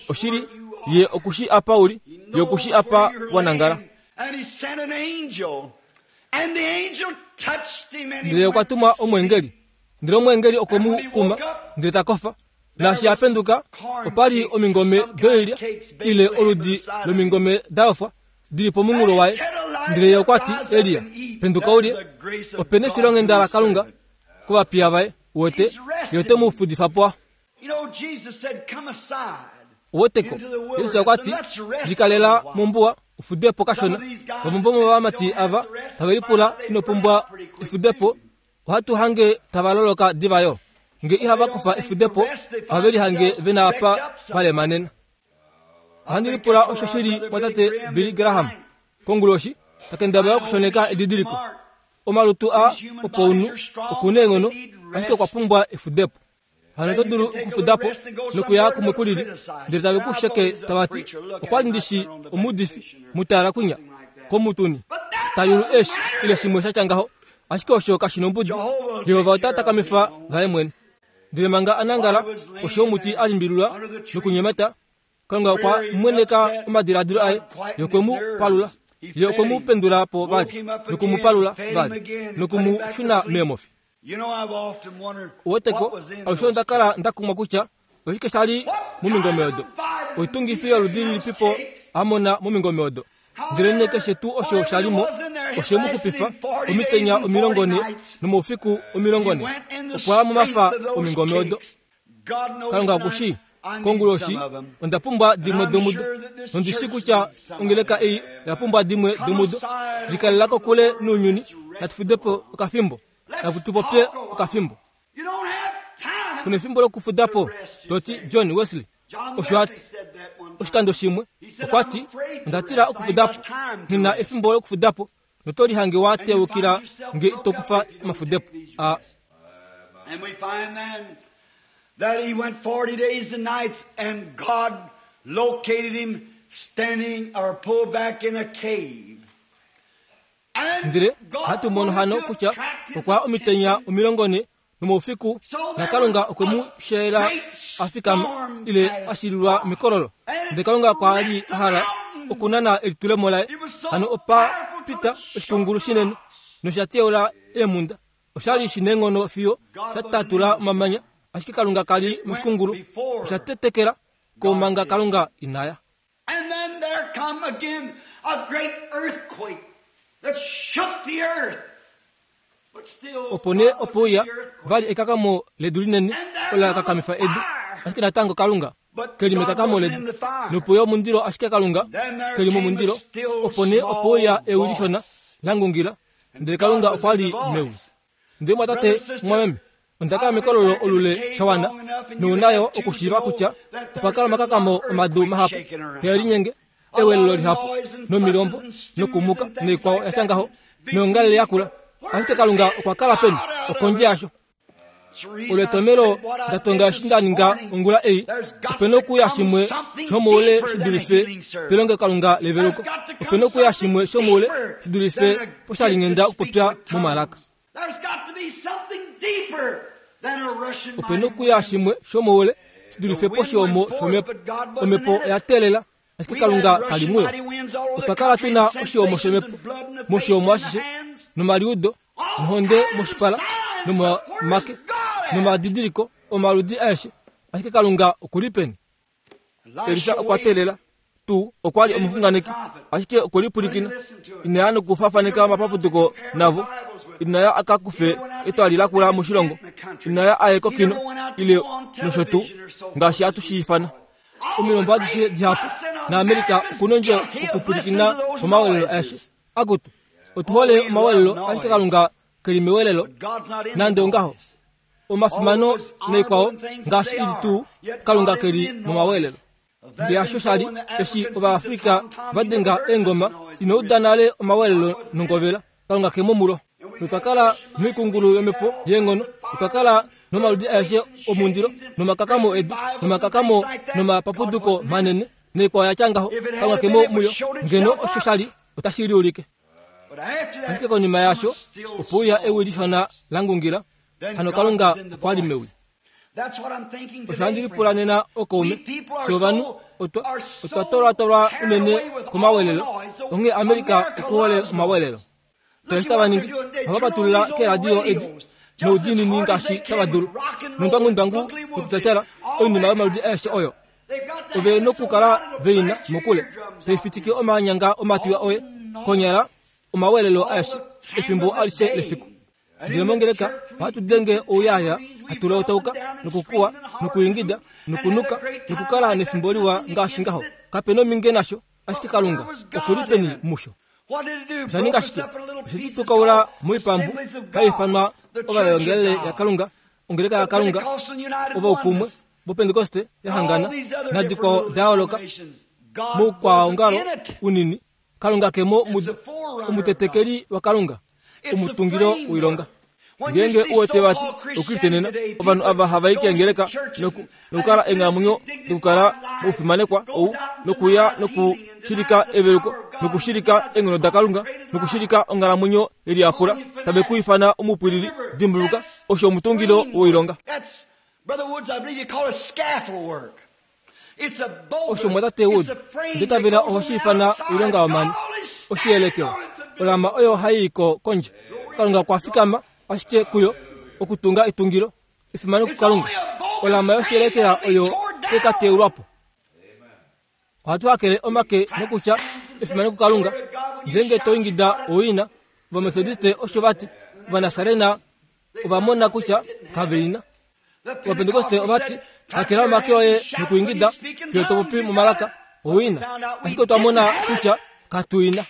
Oshili, ye oku shii apa u li, ye oku shii apa wa nangala. Ndele okwa tuma omweengeli, ndele omweengeli okwe mu kuma, ndele ta kofa. Naashi a penduka, opa li omingome doilya, ile oludi lomingome da yofwa, di li pomunghulo waye. Ndele ye okwa ti, Elia, penduka u lye. Ope nefilonghenda laKalunga. kovapiya vaye uwete ye ote mu fudifa po uweteko yesu okwa ti likalela mombuwa ufudepo kashona vamwe vomovamati ava tave lipula ino pumbwa efudepo ohatu hange tava loloka diva yo nge ihava kufa efudepo ohave lihange ve na apa va lemanena ohandi lipula osho shi li mwatate billy graham konguloshi ta kendabala okushoneka edidiliko omalutu a opounhu oku na eenghono ashike okwa pumbwa efudepo hano oto dulu okufuda po nokuya kumwe ku lili ndele tave ku sheke tava ti okwa li ndi shi omuudifi mutala kunya komutuni ta yulu eeshi ile shimwe sha tya ngaho ashike osho kashi nombudi jehova ota takamifa vaye mwene ndele manga a nangala koshi yomuti a limbililwa nokunyemata Kalunga okwa mweneka omadiladilo aye, ye okwe mu palula, ye okwe mu pendula po vali, noku mu palula vali, noku mu shuna meemofi. Uweteko, alushe onda kala nda kumwa kutya oshike sha li momingome odo. Oitungifi yoludi lilipipo a mona momingome odo? Ndelenee keshe tuu osho sha li mo, oshe mu xupifa omitenya 40 nomoufiku 40. Okwa ya momafa omingome odo. Kalunga oku shii konguloshi onda pumbwa dimwe domudo nondi shii kutya ongeleka ei oya pumbwa dimwe domudo likalela kokule nounyuni natu fude po okafimbo natu tu popye okafimbo kuna efimbo lokufuda po to ti John Wesley osho a ti oshikando shimwe okwa ti onda tila okufuda po nghi na efimbo lokufuda po noto lihange wa teukila nge ito kufa omafudepo a And we find then that he went 40 days and nights and God located him standing or pulled back in a cave. Ndele hatu mono hano kutya okwa omitenya 40 nomoufiku naKalunga okwe mu sheela a fikama ile a shililwa mekololo. Ndele Kalunga okwa li a hala okunana elitulemo laye. Hano opa pita oshikungulu shinene nosha teula eemhunda. Osha li shi neenghono fiyo sha tatula omamanya, ashike Kalunga ka li moshikungulu. Osha tetekela ko manga Kalunga ina ya. And then there come again a great earthquake that shook the earth. Opo nee ope uya vali ekakamo ledu linene olo la kakamifa edu, ashike natango Kalunga ke li mekakamo ledu. Nope uya omundilo, ashike Kalunga ke li momundilo. Opo nee ope uya ewi lishona la ngungila, ndele Kalunga okwa li mewi. Ndele mwatate, mumwameme, onda kala mekololo olule sha wana, nou na yo okushiiva kutya opa kala omakakamo omadu mahapu, hee linyenge, ewelelo lihapu, nomilombo, nokumuka, noikwao ya tya ngaho, noyongalele yakula. Ashike Kalunga okwa kala peni? Okondje yasho. Olo etomelo nda tonga eshi nda ninga ongula ei, ope nokuya shimwe shomoule shi dulife pelongelokalunga leveluko. Ope nokuya shimwe shomoule shi dulife poshalinghenda okupopya momalaka. Ope nokuya shimwe shomoule shi dulife poshiomo shomhepo. Omhepo oya teelela, ashike Kalunga ka li muyo. Otwa kala tu na oshiomo shomhepo moshiomo ashishe, nomaliudo, nohonde moshipala, nomomake, nomadidiliko omaludi aeshe, ashike Kalunga oku li peni? Elisa okwa teelela tuu okwa li omuxunganeki, ashike okwe lipwilikina. Ina ya nokufafaneka omapapuduko navo. Ina ya a ka kufe etwali lakula moshilongo. Ina ya a ye kokino, ile nosho tuu, ngaashi hatu shi ifana. Omilombo adishe dihapu, naAmerica oku nondjo okupwilikina komawelelo aeshe. Akutu, otu hole omawelelo, ashike Kalunga ke li mewelelo, nande ongaho. Omafimano naikwao ngaashi i li tuu, Kalunga ke li momawelelo. Ndele hasho sha li eshi Ovaafrika va denga eengoma, ino uda nale omawelelo nongovela, Kalunga ke mo mulo. Notwa kala noikungulu yomhepo yeenghono, otwa kala nomaludi aeshe omundilo, nomakakamo edu, nomakakamo nomapapuduko manene, naikwao ya tya ngaho, Kalunga ke mo muyo. Ngeno osho sha li, otashi liulike. Ashike konima yaasho, ope uya ewi lishona la ngungila, hano Kalunga okwa li mewi. Osho handi lipula nena okaume, fye ovanhu otwa, otwa tolwatolwa unene komawelelo, onghee America okuhole omawelelo. Tala eshi tava ningi, ohava patulula keeradio edi noudiinini ngaashi tava dulu, nondwangundwangu yokutatyala oinima yomaludi aeshe oyo. Ove nokukala ve i na mokule, tai fitike omanyanga omatwi oye konyala omawelelo aeshe efimbo alishe lefiku. Ndele mongeleka Ohatu denge ouyaya, hatu lotauka, nokukuwa, nokuingida, nokunuka, nokukala nefimbo liwa ngaashi ngaho. Kape nominge nasho, ashike Kalunga oku li peni musho? Osha ninga shike? Oshe tu tukaula moipambu hai ifanwa Ovaevangelele yaKalunga, Ongeleka yaKalunga, Ovaukumwe vOpentekoste ya hangana nadikwao da yooloka moukwaongalo unini. Kalunga ke mo mudo, omutetekeli waKalunga, omutungilo woilonga. Ngeenge u wete vati Okriste nena, ovanhu ava hava i keengeleka noku, nokukala eenghalamwenyo dokukala moufimanekwa ou, nokuya nokushilika eveluko, nokushilika eenghono daKalunga, nokushilika onghalamwenyo yeliyapula, tave ku ifana omupwilili, dimbuluka, osho omutungilo woilonga. Osho mwatate Wood, nde tavela oho shi ifana oilonga yomani, oshiyelekelo, olama oyo hai i ko kondje. Kalunga okwa fikama ashike kuyo okutunga etungilo, efimano kuKalunga. Olama yoshiyelekela oyo tai ka teulwa po. Ohatu hakele omake nokutya efimano kuKalunga. Ngeenge to ingida oina, Ovametodiste osho va ti, Ovanasarena ova mona kutya kave ina. Ovapentekoste ova ti, Hakela omake oye nokuingida fiyo to popi momalaka oina. Ashike otwa mona kutya katu ina.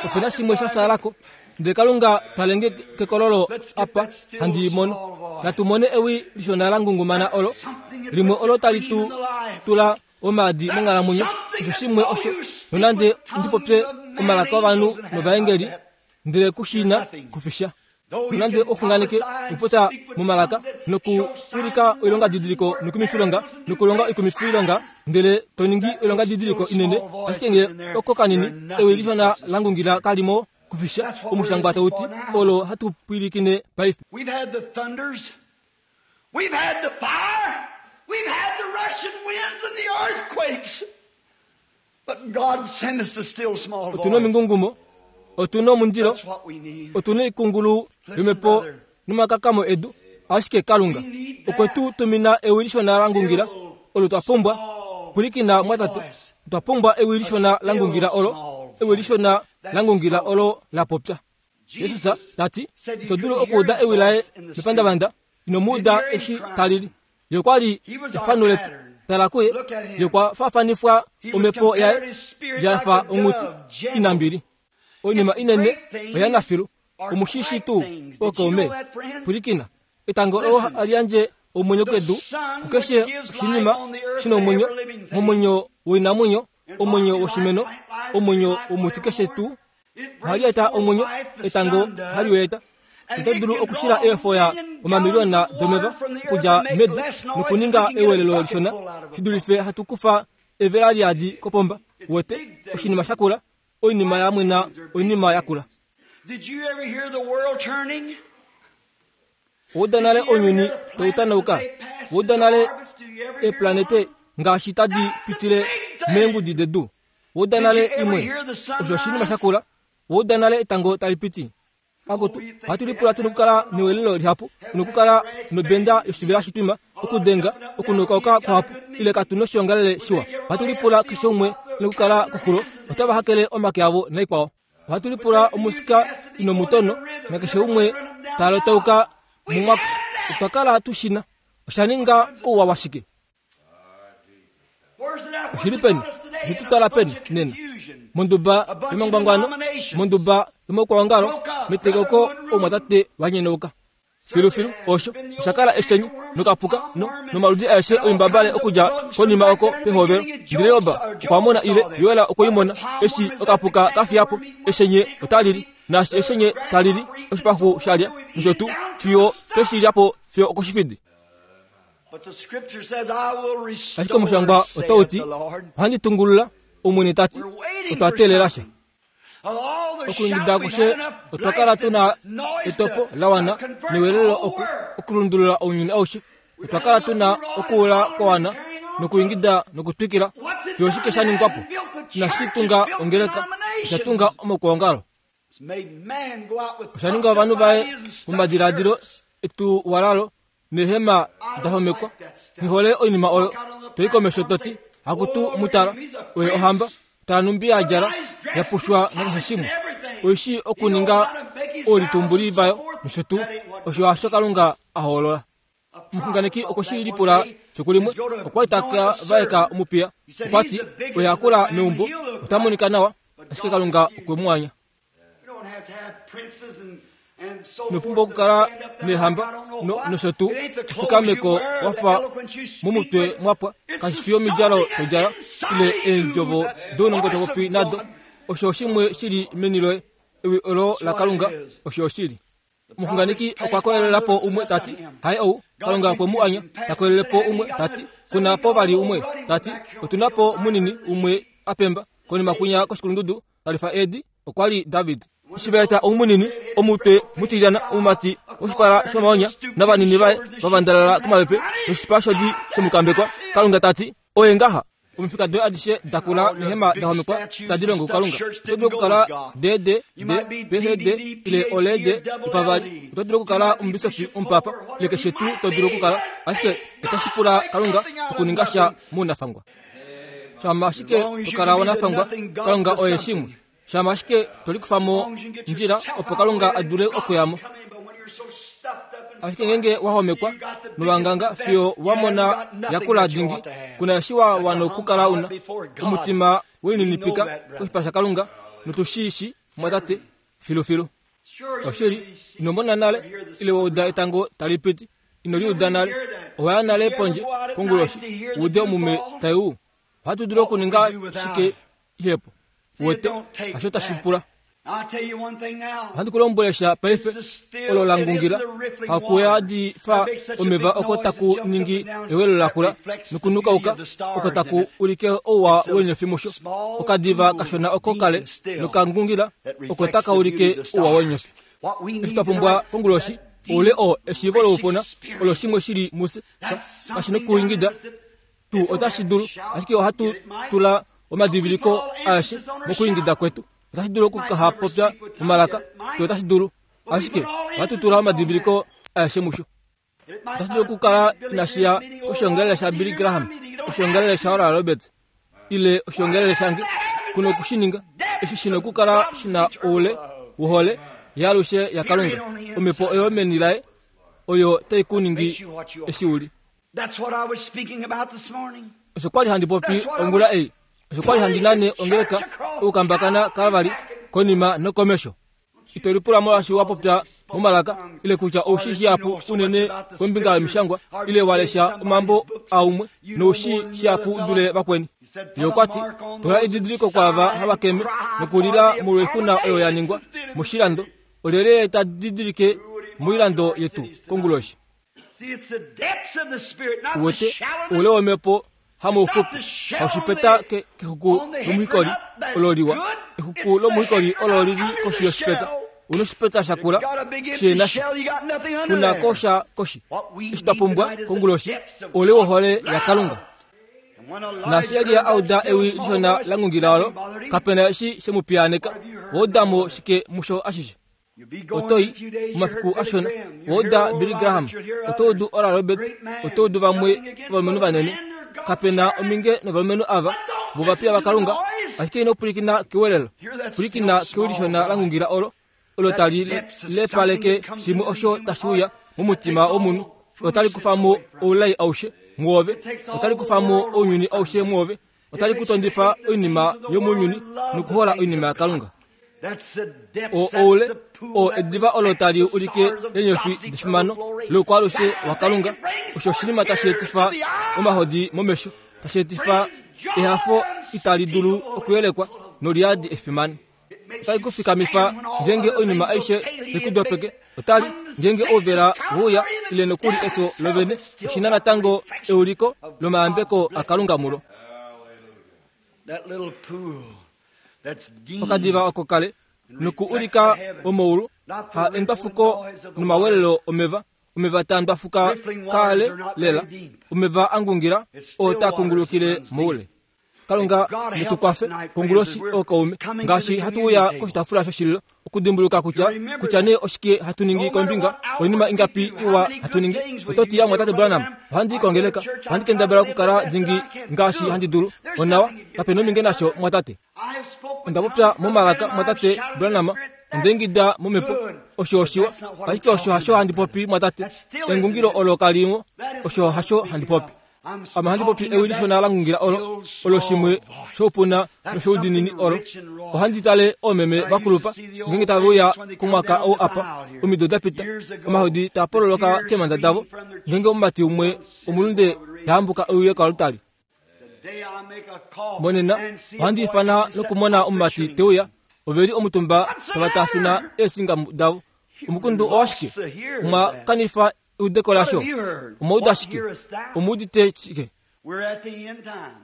Ope na shimwe sha sala ko. Ndele Kalunga twale nge kekololo apa handi i mono. Natu mone ewi lishona la ngungumana olo, limwe olo tali tu tula omaadi monghalamwenyo. Osho shimwe osho, nonande ndi popye omalaka ovanhu novaengeli, ndele ku shi na kufisha. Nonande o xunganeke okupopya momalaka nokuulika oilongadidiliko noikumifilonga nokulonga oikumifilonga, ndele to ningi oilongadidiliko inene, ashike nge oko kanini ewi lishona la ngungila kali mo kufisha, omushangwa tau ti, olo hatu pwilikine paife. We've had the thunders. We've had the fire. We've had the rushing winds and the earthquakes. But God sent us a still small Otu na voice. omingungumo, otu na omundilo, That's what we need. otu na oikungulu yomhepo nomakakamo edu, ashike Kalunga okwe tu tumina ewi lishona la ngungila olo twa pumbwa. Pwilikina mwatate, otwa pumbwa ewi lishona la ngungila olo, ewi lishona la ngungila olo la popya. Jesus ta ti, Ito dulu okuuda ewi laye mepandavanda, ino mu uda eshi ta lili. Ye okwa li efano letu. Tala kuye, ye okwa faafanifwa omhepo yaye ya fa onghuti inambili. Oinima inene oya nafilu. Omu shi shii tuu, ookaume? Pwilikina. Etango olo hali yandje omwenyo kedu, kukeshe oshinima shi na omwenyo, momwenyo woinamwenyo, omwenyo woshimeno, omwenyo womuti keshe tuu, Ohali eta omwenyo, etango hali u eta. Ito dulu okushila eefoya omamiliyona domeva okudja medu nokuninga ewelelo lishona shi dulife hatu kufa evela liadi kopomba. Uwete, oshinima shakula, oinima ya mwena oinima yakula. Did you ever hear the world turning? Owa uda nale ounyuni tau tanauka? Owa uda nale eeplanete ngaashi tadi pitile meengudi dedu? Owa uda nale imwe? Osho oshinima sha kula. Owa uda nale etango tali piti? Akutu, ohatu lipula tu nokukala newelelo lihapu, nokukala nobenda yoshivela shitwima, okudenga, okunokauka kuhapu, ile katu noshiongalele shiwa. Ohatu lipula keshe umwe nokukala koxulo, otava hakele omake avo naikwao. Ohatu lipula omusika inomutono, nakeshe umwe ta lotauka mumwako. Otwa kala tu shi na. Osha ninga ouwa washike? Oshi li peni? Oshe tu twala peni nena? Monduba yomangwangwano, monduba yomaukwaongalo, metekeko oumwatate va nyenauka. Filufilu, osho osha kala eshenyu nokapuka no, nomaludi aeshe oimbabale okudja konima oko pehovelo. Ndele Job okwa mona ile Joel okwe i mona, eshi okapuka ka fiya po, eshenye otali li, naashi eshenye tali li, oshipaxu sha lya, nosho tuu, fiyo twe shi lya po fiyo okoshifidi. Ashike omushangwa otau ti, Ohandi tungulula, Omwene ta ti, otwa teelela sha. Okuingida akushe otwa kala tu na etopo la wana newelelo oku okulundulula ounyuni aushe. Otwa kala tu na okuula kwa wana nokuingida nokutwikila fiyo oshike sha ningwa po. Inashi tunga ongeleka, osha tunga omaukwaongalo. Osha ninga ovanhu vaye momadiladilo etuwalalo neehema da homekwa. Nghi hole oinima oyo. To i komesho to ti, Akutu mu tala, oye ohamba. Tala nhumbi ya djala, ya pushwa nakeshe shimwe. Oi shii okuninga oolitumbuli vayo nosho tuu. Osho hasho Kalunga a hoolola. Omuxunganeki okwe shi lipula fiku limwe. Okwa li ta ka vaeka omupiya. Okwa ti, Oye a kula meumbo, ota monika nawa, ashike Kalunga okwe mu anya. Ino pumbwa okukala neehamba no, nosho tuu ofikameko wa fa momutwe mwa pwa. Kashi fi omidjalo to djala ile eendjovo dounongo to popi nado. Osho oshimwe shi li meni loye, ewi olo laKalunga, osho oshili. Omuxunganeki okwa koyelela po umwe ta ti, Haye ou, Kalunga okwe mu anya. Ta koyelele po umwe ta ti, Ku na po vali umwe? Ta ti, Otu na po munini umwe a pemba konima kwinya koshikulundudu ta lifa eedi. Okwa li David. Eshi va eta ou munini, omutwe mutilyana, omumati woshipala shomaonya, navanini vaye va vandalala komapepe noshipa shodi shomukambekwa, Kalunga ta ti, Oye ngaha. Omifika doye adishe da kula nehema da homekwa tadi longo kuKalunga. Oto dulu okukala D D D P H D ile ole D opavali. Oto dulu okukala omubisofi, omupapa ile keshe tuu to dulu okukala, ashike otashi pula Kalunga okuninga sha mounafangwa. Shama ashike to kala wanafangwa, Kalunga oye shimwe. Shama ashike to likufa mo ndjila opo Kalunga a dule okuya mo. Ashike ngeenge wa homekwa nowanganga fiyo wa mona yakula dingi, kuna eshi wa wana okukala una omutima welininipika koshipala shaKalunga, notu shi shi, mwatate, filufilu. Oshili, ino mona nale ile wa uda etango tali piti, ino li uda nale. Owa ya nale pondje konguloshi u ude omume tai u. Ohatu dulu okuninga shike ihepo? Uwete, hasho tashi pula. Ohandi ku lombwele sha paife, olo la ngungila, haku fa omeva oko taku ningi ewelo lakula nokunukauka oko taku ulike ouwa wenyofi musho. Okadiva kashona oko kale nokangungila oko taka ulike ouwa wenyofi. Eshi twa pumbwa konguloshi, oule oo eshiivo loupuna olo shimwe shili mufye, kashi nokuingida tuu otashi dulu, ashike ohatu tula omadiviliko aeshe mokuingida kwetu. Otashi dulu okuhapopya momalaka, tuu otashi dulu, ashike ohatu tula omadiviliko aeshe musho. Otashi dulu okukala inashi ya koshiongalele shaBilly Graham, oshiongalele shaOral Roberts, ile oshiongalele shange. Kuna oku shi ninga. Eshi shi na okukala shi na oule wohole yaalushe yaKalunga, omhepo oyo meni laye oyo tai ku ningi eshi u li. Osho kwa li handi popi ongula ei. Osho kwa li handi nane ongeleka okukambakana kavali konima nokomesho. Ito lipula molwaashi wa popya momalaka ile kutya ou shii shihapu unene kombinga yomishangwa ile wa lesha omambo aumwe nou shii shihapu u dule vakweni. Ye okwa ti, Tula edidiliko kwaava hava keme nokulila molwoixuna oyo ya ningwa moshilando, olyelye ta didilike moilando yetu konguloshi? Uwete, oule womhepo hamouxupi, haushipeta kexuku lomuhikoli olo liwa. Exuku lomuhikoli olo li li koshi yoshipeta. Una oshipeta sha kula she na sha. Kuna ko sha koshi. Eshi twa pumbwa konguloshi, oule wohole yaKalunga. Naashi Elia a uda ewi lishona la ngungila olo, kape na eshi she mu piyaaneka. Wa uda mo shike musho ashishe? Oto i, momafiku ashona, wa uda Billy Graham, oto udu Oral Roberts, oto udu vamwe ovalumenhu vanene. Kape na ominge novalumenhu ava vovapiya vaKalunga, ashike ino pwilikina kewelelo. Pwilikina kewi lishona la ngungila olo, olo tali lepaleke shimwe osho tashi uya momutima womunhu. Otali kufa mo oulai aushe mwoove. Otali kufa mo ounyuni aushe mwoove. Otali ku tondifa oinima yomounyuni nokuhola oinima yaKalunga. O oule o ediva olo tali ulike eenyofi defimano loukwaalushe waKalunga, osho oshinima tashi etifa omahodi momesho, tashi etifa ehafo itali dulu okuyelekwa noliyadi efimano. Otali ku fikamifa ngeenge oinima aishe tai ku dopeke. Otali, ngeenge ouvela weuya ile nokuli efyo lovene, oshi na natango euliko lomayambeko aKalunga mulo. Okadiva oko kale noku ulika omaulu, ha endwafuko nomawelelo omeva, omeva taa ndwafuka kaale lela, omeva a ngungila oo taa kungulukile moule. Kalunga ne tu kwafe konguloshi ookaume ngaashi hatu uya koshitafula shoshililo okudimbuluka kutya kutya nee oshike hatu ningi kombinga oinima ingapi iwa hatu ningi. Oto ti, Mwatate Branham, ohandi i kongeleka, ohandi kendabala okukala dingi ngaashi handi dulu. Onawa, kape nominge nasho, mwatate. Onda popya momalaka, mwatate Branham. Onda ingida momhepo. Osho oshiwa, ashike osho hasho handi popi, mwatate. Engungilo olo kalimo, osho hasho handi popi. Ame ohandi popi ewi lishona la ngungila olo, olo shimwe shoupuna noshoudinini olo. Ohandi tale oomeme vakulupa ngeenge tave uya komwaka ou apa, omido da pita, omahodi taa pololoka keemhanda davo, ngeenge omumati umwe omulunde ta hambuka e uye koaltari. Monena ohandi ifana nokumona omumati te uya, ove li omutumba tava taafina eesinga davo. Omukundu owashike? Omwa kanifa eudeko lasho. Omwa uda shike? Omu udite shike?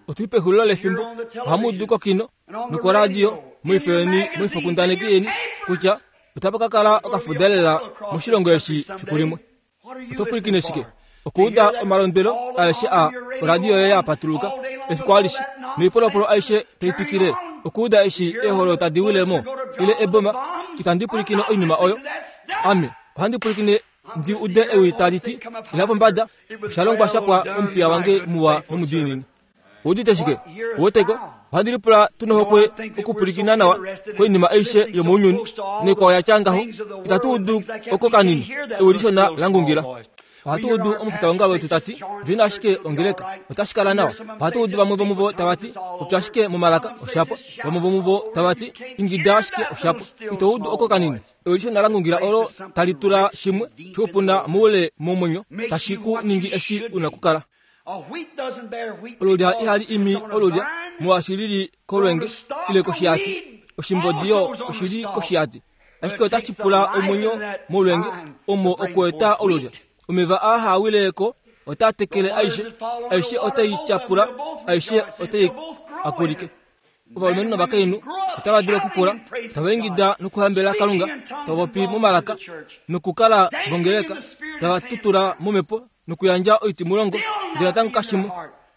Otu li pexulilo lefimbo. Ohamu udu kokino nokoradio moifo yeni moifokundaneki yeni kutya otapa ka kala okafuda lela moshilongo eshi fiku limwe. Oto pwilikine shike? Okuuda omalondwelo aeshe a oradio yoye ya patuluka efiku alishe noipolopolo aishe tai twikile, okuuda eshi eeholo tadi wile mo ile eboma, itandi pwilikine oinima oyo. Ame ohandi pwilikine ndi ude ewi tali ti, Ila pombada, osha longwa sha pwa omupiya wange muwa nomudiinini. Oudite shike? Uweteko? Ohandi lipula tu nohokwe okupwilikina nawa koinima aishe yomounyuni naikwao ya tya ngaho. Itatu udu oko kanini, ewi lishona la ngungila. Ohatu udu omufitaongalo wetu ta ti, Djoina ashike ongeleka, otashi kala nawa. Ohatu udu vamwe vomuvo tava ti, Popya ashike momalaka, osha pwa. Vamwe vomuvo tava ti, Ingida ashike, osha pwa. Ito udu oko kanini, ewi lishona la ngungila olo tali tula shimwe shoupuna moule momwenyo, tashi ku ningi eshi u na okukala. Olulya ihali imi olulya molwaashi li li kolwenge ile koshihati. Oshimbodi yo oshi li koshihati, ashike otashi pula omwenyo molwenge omo okueta olulya. Omeva aa haa wile ko otaa tekele aishe, aishe otai tyapula, aishe otai akulike. Ovalumenhu novakainhu otava dulu okukula tava ingida nokuhambela Kalunga, tava popi momalaka nokukala vongeleka, tava tutula momhepo nokuyandja oitimulongo, ndele natango kashimo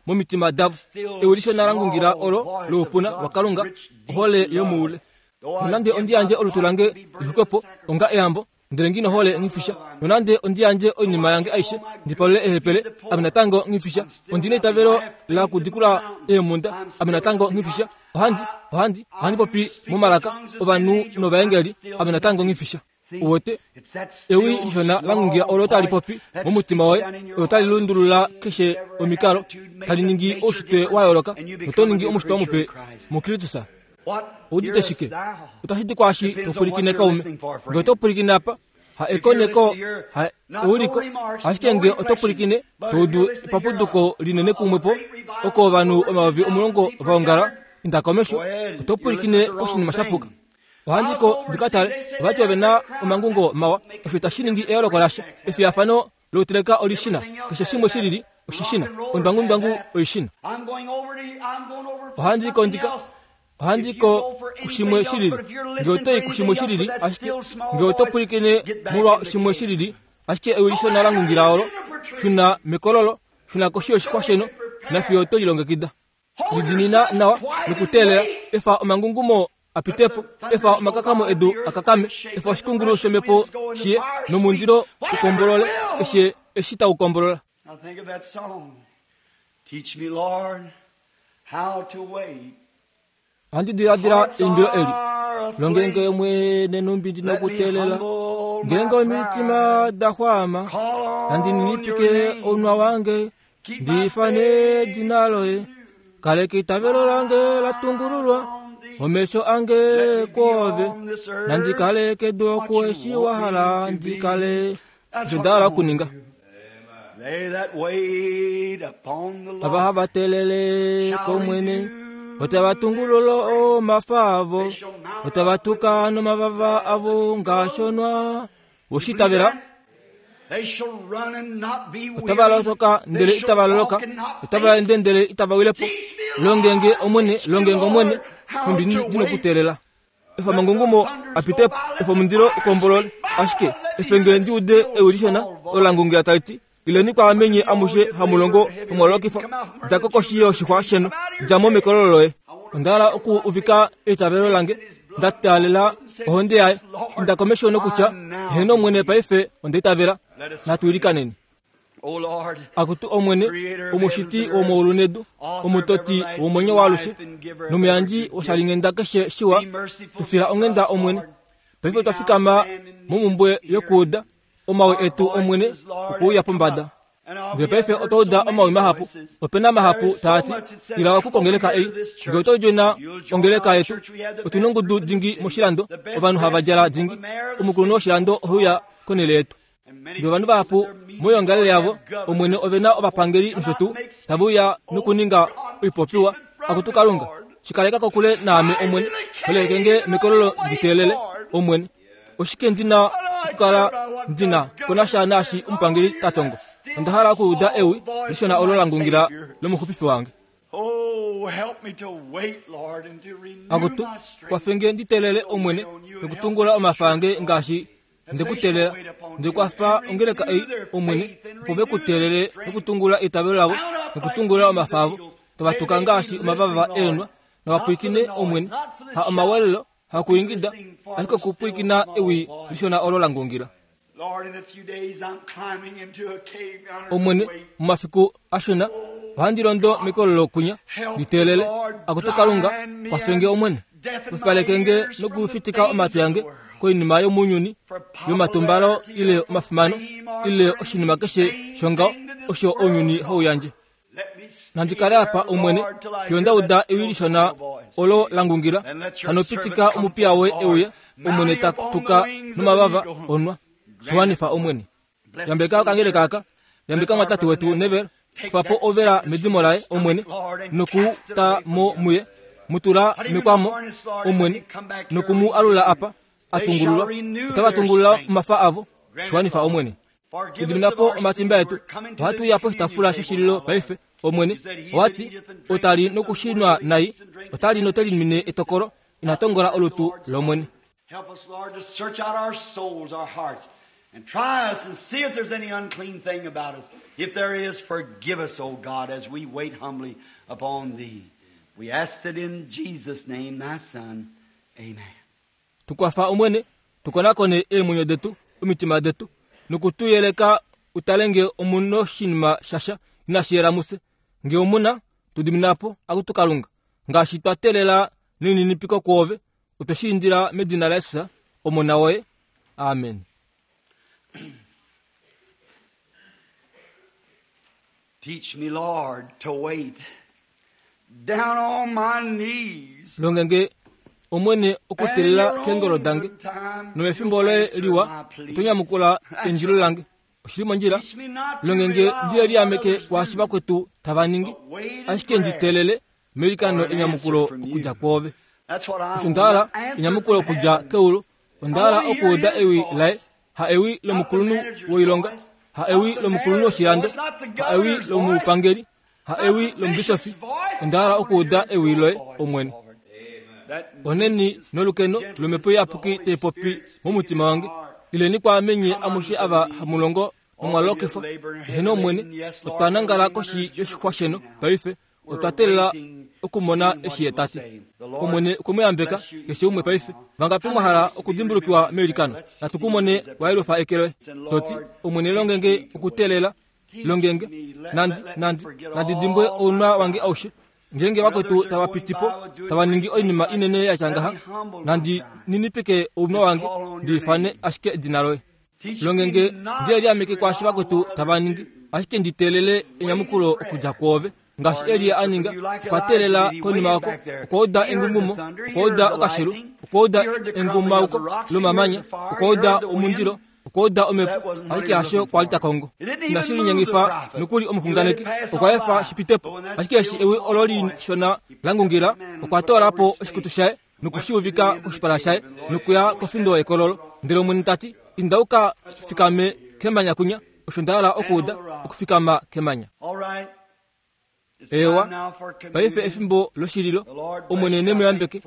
momitima davo. Ewi lishona la ngungila olo loupuna waKalunga, ohole yomoule. Nonande ondi yandje olutu lange li xwikwe po onga eyambo, ndele nghi nohole nghifisha. Nonande ondi yandje oinima yange aishe ndi palule eehepele, ame natango nghifisha. Ondi neitavelo lakudikula eemhunda, ame natango nghifisha. Ohandi, ohandi, ohandi popi momalaka ovanhu novaengeli, ame natango nghifisha. Uwete, ewi lishona la ngungila olo tali popi momutima woye, olo tali lundulula keshe omikalo, tali ningi oushitwe wa yooloka, noto ningi omushitwa mupe muKristus. Oudite shike? Otashi di kwaashi to pwilikine kaume. Nge oto pwilikine apa, ha ekoneko, ha euliko, ashike nge oto pwilikine, to udu epapuduko linene kumwe po, oko ovanhu 10,000 va ongala, inda komesho, oto pwilikine koshinima sha puka. Ohandi ko ndi ka tale, ovati ove na omangungo mawa, osho itashi ningi eyooloko lasha. Efiyafano louteleka olishina, keshe shimwe shilili oshishina, ondwangundwangu oishina. Ohandi ko ndika ohandi ko kushimwe shilili. Nge oto i kushimwe shilili, ashike nge oto pwilikine molwa shimwe shilili, ashike ewi lishona la ngungila olo, shuna mekololo, shuna koshi yoshixwa sheno, nafiyo oto lilongekida. Lidinina nawa nokuteelela, efa omangungumo a pite po, efa omakakamo edu a kakame, efa oshikungulu shomhepo shi ye, nomundilo u kombolole keshe eshi tau kombolola. Ohandi diladila eimbilo eli. Longe nge Omwene nhumbi ndi nokuteelela, ngeenge omitima da xwama, nandi ninipike ounwa wange, ndi ifane edina loye. Kaleka eitavelo lange la tungululwa, omesho ange kwoove, nandi kale kedu oku eshi wa hala ndi kale. Osho nda hala okuninga. Ava hava teelele kOmwene, otava tungulula omafa avo, otava tuka nomavava avo ngaashi onwa. We shi itavela? Otava lotoka ndele itava loloka, otava ende ndele itava wile po. Longe nge Omwene, longe nge Omwene, nhumbi ndi nokuteelela. Efa omangungumo a pite po, efa omundilo u kombolole, ashike efe nge ndi ude ewi lishona olo la ngungila tali ti, Ileni kwaame nye amushe hamu longo nomwa lolokifwa, dja ko koshi yoshixwa sheno, dja mo mekololo loye. Onda hala oku uvika eitavelo lange, nda taalela ohonde yaye, inda komesho nokutya, Heeno Omwene, paife onda itavela. Natu ilikaneni. Akutu Omwene, Omushiti womaulu nedu, Omutoti womwenyo waalushe, nomuyandji woshalinghenda keshe shiwa, tu fila onghenda Omwene. Paife otwa fikama momumbwe yokuuda omawi etu Omwene okuuya pombada. Ndele paife otwa uda omawi mahapu. Ope na mahapu taa ti, Ila oku kongeleka ei. Nge oto djena ongeleka yetu, otu nongudu dingi moshilando, ovanhu hava djala dingi. Omukulunhu woshilando ohe uya konhele yetu. Ndele ovanhu vahapu moyoongalele yavo, Omwene, ove na ovapangeli nosho tuu, tave uya nokuninga oipopiwa. Akutu Kalunga, shi kaleka kokule naame, Omwene. Holeke nge mekololo ndi teelele, Omwene. Oshike ndi na okukala ndi na ko nasha naashi omupangeli ta tongo? Onda hala okuuda ewi lishona olo la ngungila lomuxupifi wange. Akutu, kwafe nge ndi teelele, Omwene, nokutungula omafa ange ngaashi nde ku teelela. Nde kwafa ongeleka ei, Omwene, opo ve ku teelele nokutungula eitavelo lavo nokutungula omafa avo, tava tuka ngaashi omavava eenhwa, nava pwilikine, Omwene, ha omawelelo, hakuingida, ashike okupwilikina ewi lishona olo la ngungila. Omwene, momafiku ashona ohandi londo mekololo kwinya, ndi teelele. Akutu Kalunga, kwafe nge Omwene. Pupaleke nge nokufitika omatwi ange koinima yomounyuni, yomatumbalo ile omafimano, ile oshinima keshe shongaho osho ounyuni hau yandje. Nandi kale apa, Omwene, fiyo nda uda ewi lishona olo la ngungila. Hano pitika omupiya woye e uye, Omwene, ta tuka nomavava onwa. Shi wanifa, Omwene. Yambeka okangeleka aka. Yambeka omwatate wetu Neville. Kufa po ovela medimo laye, Omwene, noku ta mo muye. Mu tula mekwamo, Omwene, noku mu alula apa, a tungululwa. Otava tungulula omafa avo. Shi wanifa, Omwene. Tudimina po omatimba etu. Ohatu uya poshitafula shoshililo paife, Omwene. Owa ti, Ota li nokushinwa nai, ota li note limine etokolo, ina tongola olutu lOmwene. Help us, Lord, to search out our souls, our hearts, and try us and see if there's any unclean thing about us. If there is, forgive us, O God, as we wait humbly upon Thee. We ask it in Jesus' name, Thy Son. Amen. Tu kwafa, Omwene, tu konakone eemwenyo detu, omitima detu, noku tu yeleka u tale nge omu noshinima shasha inashi yela mufye. Nge omu na, tu dimina po, Akutu Kalunga, ngaashi twa teelela nelininipiko kwoove, otwe shi indila medina laJesus, Omona woye. Amen. Teach me, Lord, to wait down on my knees. Longe nge, Omwene, okuteelela keengolo dange, nomefimbo loye liwa oto nyamukula eindilo lange. Oshili mondjila, longe nge ndi liameke kwaashi vakwetu tava ningi, ashike ndi teelele meilikano enyamukulo okudja kwoove. Osho nda hala, enyamukulo okudja keulu. Onda hala okuuda ewi laye, ha ewi lomukulunhu woilonga, ha ewi lomukulunhu woshilando, ha ewi lomupangeli, ha ewi lomubisofi. Onda hala okuuda ewi loye, Omwene. Onheni nolukeno lOmhepo Iyapuki tai popi momutima wange. Ileni kwaame nye amushe ava hamu longo nomwa lokifwa. Eheno Omwene, otwa nangala koshi yoshixwa sheno paife. Otwa teelela okumona eshi ye ta ti. Omwene okwe mu yambeka, keshe umwe paife. Vangapi mwa hala okudimbulukiwa meilikano? Natu ku mone wa yelufa eke loye, to ti, Omwene longe nge okuteelela, longe nge. Nandi, nandi, nandi dimbwe ounwa wange aushe. Ngeenge vakwetu tava piti po, tava ningi oinima inene ya tya ngaha, nandi ninipike ounwa wange, ndi ifane ashike edina loye. Longe nge ndi liameke kwaashi vakwetu tava ningi, ashike ndi teelele enyamukulo okudja kwoove. Ngaashi Elia a ninga, okwa teelela konima oko, okwa uda engungumo, okwa uda okashelu, okwa uda engumauko lomamanya, okwa uda omundilo, okwa uda omhepo, ashike hasho kwa li ta kongo. Inashi linyengifa nokuli omuxunganeki, okwa efa shi pite po. Ashike eshi ewi olo lishona la ngungila, okwa toola po oshikutu shaye noku shi uvika koshipala shaye nokuya kofindo yekololo. Ndele Omwene ta ti, Inda u ka fikame kemanya kwinya. Osho nda hala okuuda, okufikama kemanya. Eewa, paife efimbo loshililo. Omwene ne mu yambeke.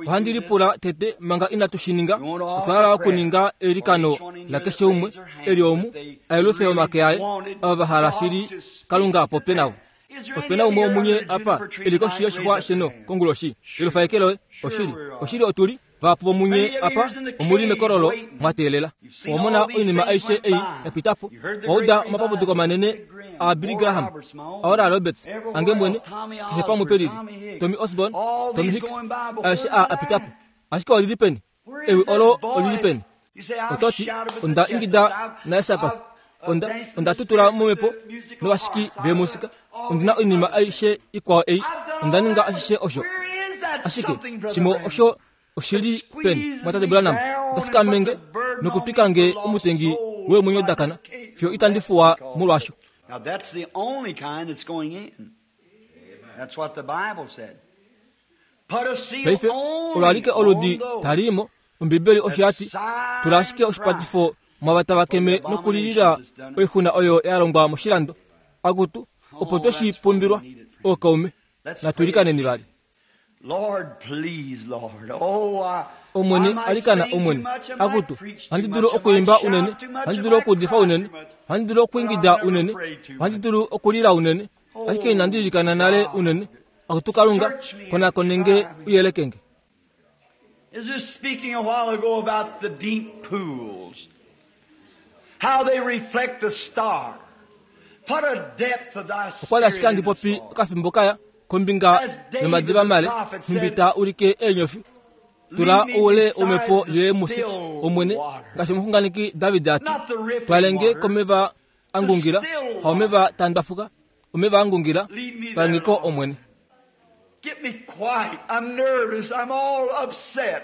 Ohandi lipula tete manga inatu shi ninga, otwa hala okuninga eilikano lakeshe umwe e li omu, a yelufe omake aye, ava va hala shili Kalunga a popye navo. Ope na umwe womunye apa e li koshi yoshixwa sheno konguloshi? Yelufa eke loye. Oshili, oshili otu li vahapu vomunye apa omu li mekololo mwa teelela. Owa mona oinima aishe ei ya pita po. Owa uda omapapuduko manene aBilly Graham, aOral Roberts, ange mwene, keshe pamwe pe lili, Tommy Osborn, Tommy Hicks, aeshe aa a pita po. Ashike oli li peni? Ewi olo oli li peni? Oto ti, Onda ingida naEsapas. Onda, onda tutula momhepo novashiki veemusika. Ondi na oinima aishe ikwao ei. Onda ninga ashishe osho. Ashike, shimwe osho oshi li peni, mwatate Branham? Otashi nge nokupika nge omutengi weemwenyo da kana, fiyo itandi fuwa molwasho. Now that's the only kind that's going in. That's what the Bible said. Put a seal Paife, only olo alike oludi on those tali imo, Ombibeli osho ya ti, tula ashike oshipatifo mwava tava keme nokulilila oixuna oyo ya longwa moshilando. Akutu, opo twe shi pumbilwa, ookaume, natu ilikaneni vali. Lord, please, Lord. Oh, I, Omwene, I might alikana sing too Omwene. much, I might Akutu, preach too ohandi much, dulu I might okuimba shout unene, too much, ohandi I dulu might okuudifa cry unene, too much, ohandi dulu okuingida but I'll never unene, pray too ohandi much. dulu okulila unene, ashike inandi ilikana nale unene. Akutu Kalunga, konakone nge u yeleke nge. Is just speaking a while ago about the deep pools, how they reflect the star. Put a depth of thy Okwa li spirit ashike handi in us, popi Lord. okafimbo kaya kombinga yomadiva male, nhumbi taa ulike eenyofi. Tula Lead me oule beside womhepo the yoye mufye, still Omwene, water. ngaashi omuxunganeki David a ti, Not the rippling twalenge water, komeva a ngungila, the still haomeva taa ndwafuka, omeva a ngungila, Lead me there, twalenge ko Lord. Omwene. Get me quiet. I'm nervous. I'm all upset.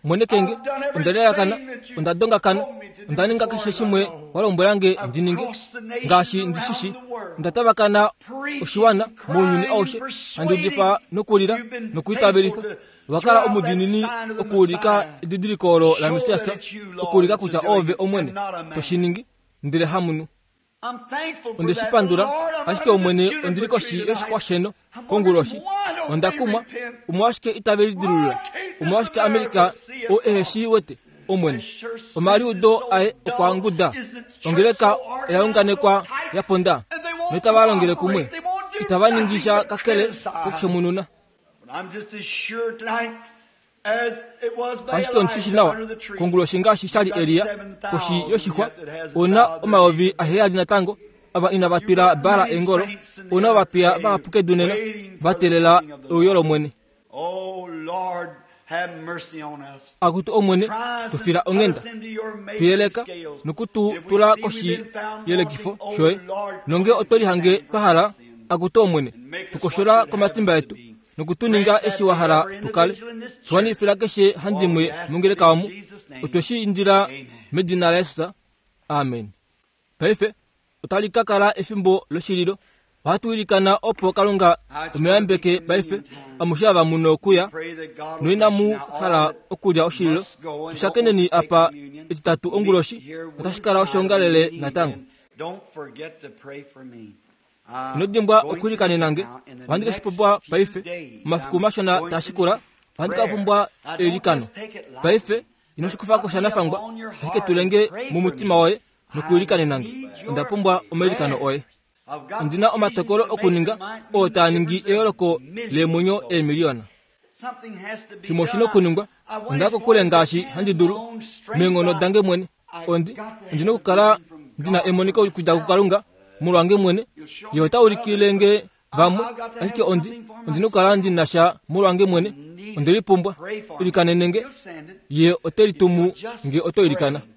Mwene kenge, I've done onda lalakana, everything that you onda dongakana, told me to do onda ninga as far keshe as I shimwe know. wa lombwela nge I've ndi ninge, crossed the nations ngaashi ndi shi shii, around the world, onda tavakana preaching, oshiwana mounyuni crying, aushe, and handi udifa persuading. nokulila You've been nokwiitavelifa. faithful to Wa kala throw out that omudiinini sign of the okuulika Messiah. edidiliko olo la Show Messias, that it's you, Lord, okuulika that's kutya doing oove it, Omwene and not a man. to shi ningi, ndele hamunhu. I'm thankful for Onde shi that. pandula, Lord, I'm ashike under the Omwene juniper ondili tree koshi tonight. yoshixwa sheno I'm wondering konguloshi. why don't Onda they kumwa, repent? omolwashike itave lidilulula, Why can't this omolwashike Amerika America see it oo ehe shi wete, Omwene. This sure sense Omaliudo is so aye okwa dull. nguda, Is the church ongeleka so organized, oya unganekwa so tight? ya ponda, And they won't noitava longele kumwe, cooperate. They won't do itava ningi sha nothing but kakele criticize. kokushomununa. But I'm just as sure tonight as it was by Ashike ondi shi shi nawa Elijah under the tree. konguloshi ngaashi sha li You've got Elia 7,000 koshi yoshixwa, yet that hasn't ouna bowed their omayovi knee. aheyali natango ava inava You've twila got Baal many eengolo, saints in the ouna earth ovapiya today vahapu kedu nena waiting va for the teelela coming of the euyo Lord. lOmwene. Oh Lord, have mercy on us. Akutu Omwene, Try us tu fila and put onghenda, us into your tu measuring yeleka scales. noku tu If we tula see we've koshi been found yelekifo wanting, oh shoye Lord, nonge otwe lihange cleanse us twa hala from sin akutu Omwene, and make tu us what koshola you'd have komatimba us to etu be. noku tu ninga Grant that eshi wa to hala every tu kale. individual in this church. Shiwanifila keshe For we handimwe ask it mongeleka in omu, Jesus' name. otwe shi indila Amen. medina laJesus. Amen. Paife otali ka kala efimbo loshililo. Ohatu ilikana opo Kalunga Now it's emu going to be yambeke paife communion time. amushe ava muno okuya Pray that God will noina bless you. mu Now all hala that okulya oshililo must go and don't want tushakeneni to take apa communion, etitatu meet onguloshi here otashi Wednesday kala night at the oshoongalele meeting natango. again. Don't forget to pray for me. Ino I'm dimbwa going to okuilikanena need nge now in the ohandi ke shi next pumbwa few paife days. omafiku I'm mashona going taa to shikula need ohandi ka prayer. pumbwa Now don't eilikano. just take it Paife lightly, ino shi but kufako put sha me nafangwa upon your ashike heart and tulenge pray for mumutima me. woye I nokuilikanena nge. need Onda your pumbwa omailikano oye. prayers. I've got Ondina decisions omatokolo to make okuninga that might oo mean the taa ningi difference of eyooloko millions of leemwenyo souls. eemiliyona. Something has to be Shimwe oshi na done. okuningwa, I went onda as far kokule as I ngaashi can handi in my dulu own strength. meenghono I, dange mwene. I've Ondi got to ondina have a okukala vision from ndina God emoniko for okudja myself. kuKalunga molwange mwene. You'll show Ye me ota for ulikile others, but nge I, vamwe, I've got to ashike have ondi something for ondina okukala myself. ndina sha molwange mwene. Need Onde it. lipumbwa, Pray for me. ilikanene nge, He'll send it ye ote if you'll litumu just nge oto ilikana. pray.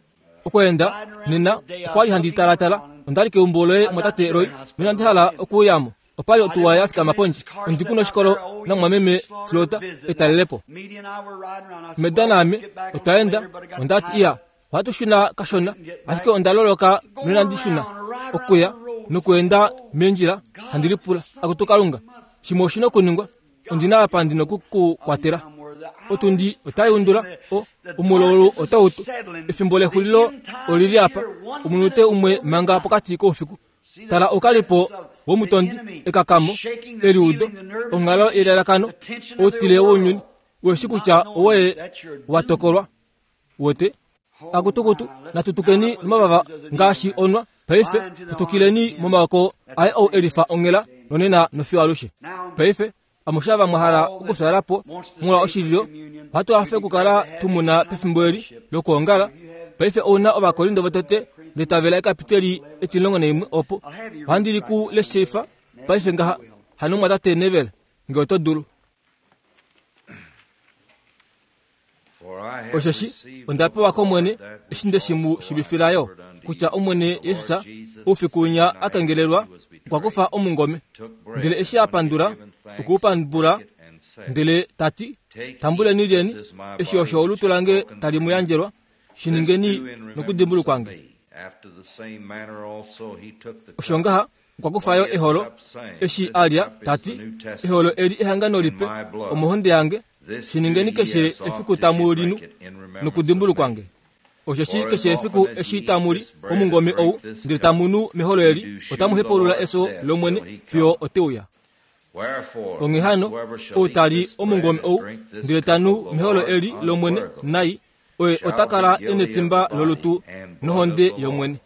Okweenda Riding around nena today, I okwa was li handi looking talatala around and onda li keumbo loye I was out mwatate to your Roy house, noinandi Brother hala Roy, and okuuyamo. Opali I otuwa didn't ya want to fikama come in. pondje This car ondi sitting kuna out oshikolo there. Oh, namwameme yes, Slaughter Slota visit. Now, etalelepo. Media and I were riding around. I said, Meda well, we'll naame get back a otwa little enda later, but I got onda ti tied iya up. ohatu shuna kashona Couldn't get ashike back. onda loloka Going noinandi shuna around, ride around okuya the road. nokuenda Oh, meendjila handi God, lipula akutu something Kalunga must shimwe oshi na okuningwa God ondina apa ndina oku ku kwatela. I'm where the hour Otundi is otai pressing, undula the, o the omulolulu darkness otau is tu settling, efimbo the lexulilo end time olili is apa here, one omunute minute umwe before manga midnight. pokati koufiku. See the Tala oukalipo presence of the womutondi enemy ekakamo shaking the eliudo feeling, the nervous onghalo condition, yelalakano the tension of their outile wounyuni world, weshi not kutya knowing owoye that you're wa doomed. tokolwa wote Oh akutukutu my, let's mount natutukeni up with nomavava wings as an eagle ngaashi now. onwa paife Fly into the arms of tutukileni him momaoko that's aye the ou same elifa as onghela today. nonena nofiyo alushe. Now, Paife amushe ava mwa hala all that okufyala po wants to molwa stay for oshililo communion, ohatu we'd hafe be glad okukala to have tu you muna come and pefimbo eli fellowship. lokwoongala. If you have Paife ouna Ovakorinto votete ndetavela ekapiteli etimulongo naimwe opo I'll have you read ohandi it li right ku now, Brother leshifa Neville, paife if you ngaha will. hano mwatate Neville nge oto dulu. For Osheshi onda pewa kOmwene eshi nde shi mu shiivifila yo, kutya Omwene Jesus oufiku winya a kengelelwa, okwa kufa omungome, ndele eshi a pandula, okwe u pambula, ndele ta ti, Tambuleni lyeni, eshi osho olutu lange tali mu yandjelwa, shi ningeni nokudimbulukwa nge. Osho ngaha okwa kufa yo eholo, eshi a lya, ta ti, Eholo eli ehangano lipe omohonde yange, shi ningeni keshe efiku tamu li nu nokudimbulukwa nge. Osheshi keshe efiku eshi tamu li omungome ou, ndele tamu nu meholo eli, otamu hepaulula efyo lOmwene fiyo ote uya. Onghee hano, ou ta li omungome ou, ndele ta nu meholo eli lOmwene nai, oye ota kala e netimba lolutu nohonde yOmwene.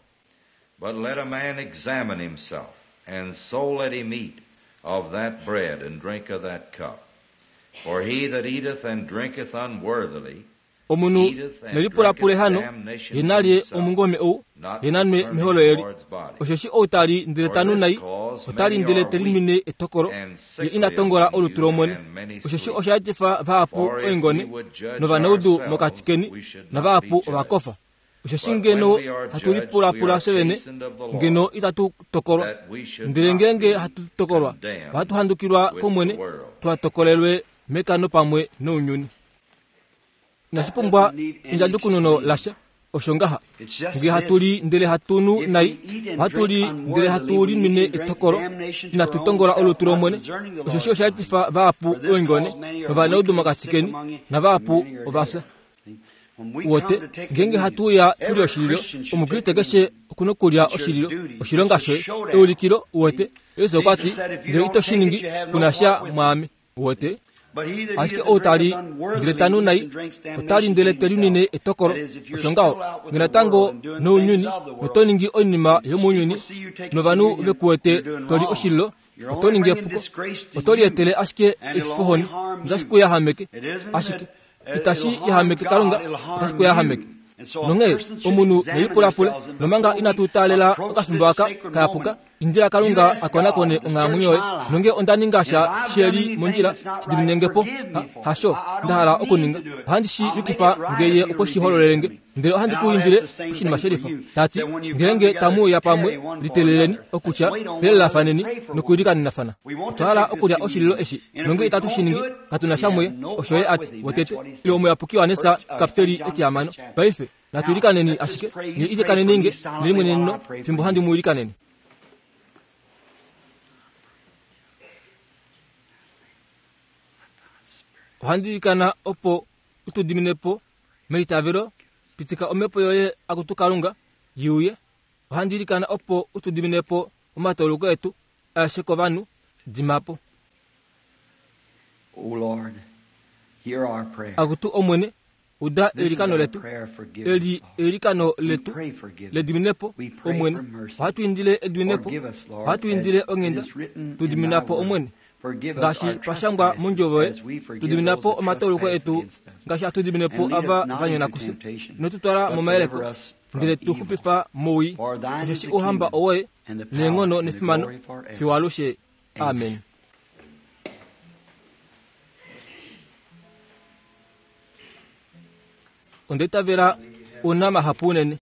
But let a man examine himself, and so let him eat of that bread and drink of that cup. For he that eateth and drinketh unworthily Omunhu ne lipulapule hano, ye na lye omungome ou, ye na nwe meholo eli. Osheshi ou ta li ndele ta nu nai, ota li ndele te linwine etokolo, ye ina tongola olutu lOmwene. Osheshi osha etifa vahapu oingone novanaudu mokati keni, navahapu ova kofa. Osheshi ngeno hatu lipulapula fye vene, ngeno itatu tokolwa. Ndele ngeenge hatu tokolwa, ohatu handukilwa kOmwene, tuha tokolelwe mekano pamwe nounyuni. Inashi pumbwa endjadjukununo lasha, osho ngaha. Nge hatu li ndele hatu nu nai, ohatu li ndele hatu linwine etokolo, inatu tongola olutu lOmwene. Osheshi osha etifa vahapu oingone novanaudu mokati keni, navahapu ova fya. Wote, ngeenge hatu uya tu li oshililo, Omukriste keshe oku nokulya oshililo, oshilonga shoye, eulikilo, uwete. Jesus okwa ti, Ngee ito shi ningi, ku na sha mwaame. Uwete? Ashike ou ta li ndele ta nu nai, ota li ndele te linwine etokolo. Osho ngaho, nge natango nounyuni, noto ningi oinima yomounyuni, novanhu ve ku wete to li oshililo, oto ningi epuko. Oto lietele ashike efifohoni, notashi ku yahameke. Ashike itashi yahameke Kalunga, otashi ku yahameke. Nonghee omunhu ne lipulapule, nomanga inatu taalela okafimbo aka kayapuka, indila Kalunga a konakone onghalamwenyo yoye. Nonge onda ninga sha she li mondjila, shi dimine nge po. Ha, hasho nda hala okuninga. Ohandi shi yukifa nge Ye okwe shi hololele nge. Ndele ohandi ku indile oshinima shelifa, ta ti, Ngeenge tamu uya pamwe, liteleleni, okutya, telelafaneni nokuilikanenafana. Otwa hala okulya oshililo eshi, nonge itatu shi ningi, katu na sha muye. Osho ye a ti, Wotete, ile Omuyapuki Johannes, kapiteli etihamano. Paife, natu ilikaneni ashike, nye ilikaneni nge nelimweneneno fimbo handi mu ilikanene. Ohandi ilikana opo u tu dimine po meitavelo, pitika Omhepo yoye, Akutu Kalunga, i uye. Ohandi ilikana opo u tu dimine po omatauluko etu aeshe kovanhu. Dima po. O Lord, hear our prayer. Akutu Omwene, uda This is eilikano our letu. prayer, forgive us, Eli Lord. eilikano We letu pray forgiveness. lediminepo, We pray Omwene. for mercy. Ohatu indile ediminepo. Forgive us, Lord, Ohatu as indile it onghenda. is written Tu in thy dimina po, word. Omwene. Forgive us Ngaashi our pa shangwa trespasses mondjovo yoye, as we forgive tu dimina those po that omatauluko trespass etu against us. ngaashi hatu dimine po And lead us ava not va nyona into kufye. temptation, Ino tu twala but momayeleko, deliver us from ndele tu evil. xupifa mowii. For thine is Osheshi the ouhamba kingdom, owoye, and the power, neenghono and the nefimano, glory forever. fiyo alushe. Amen. Onda itavela u na mahapu unene.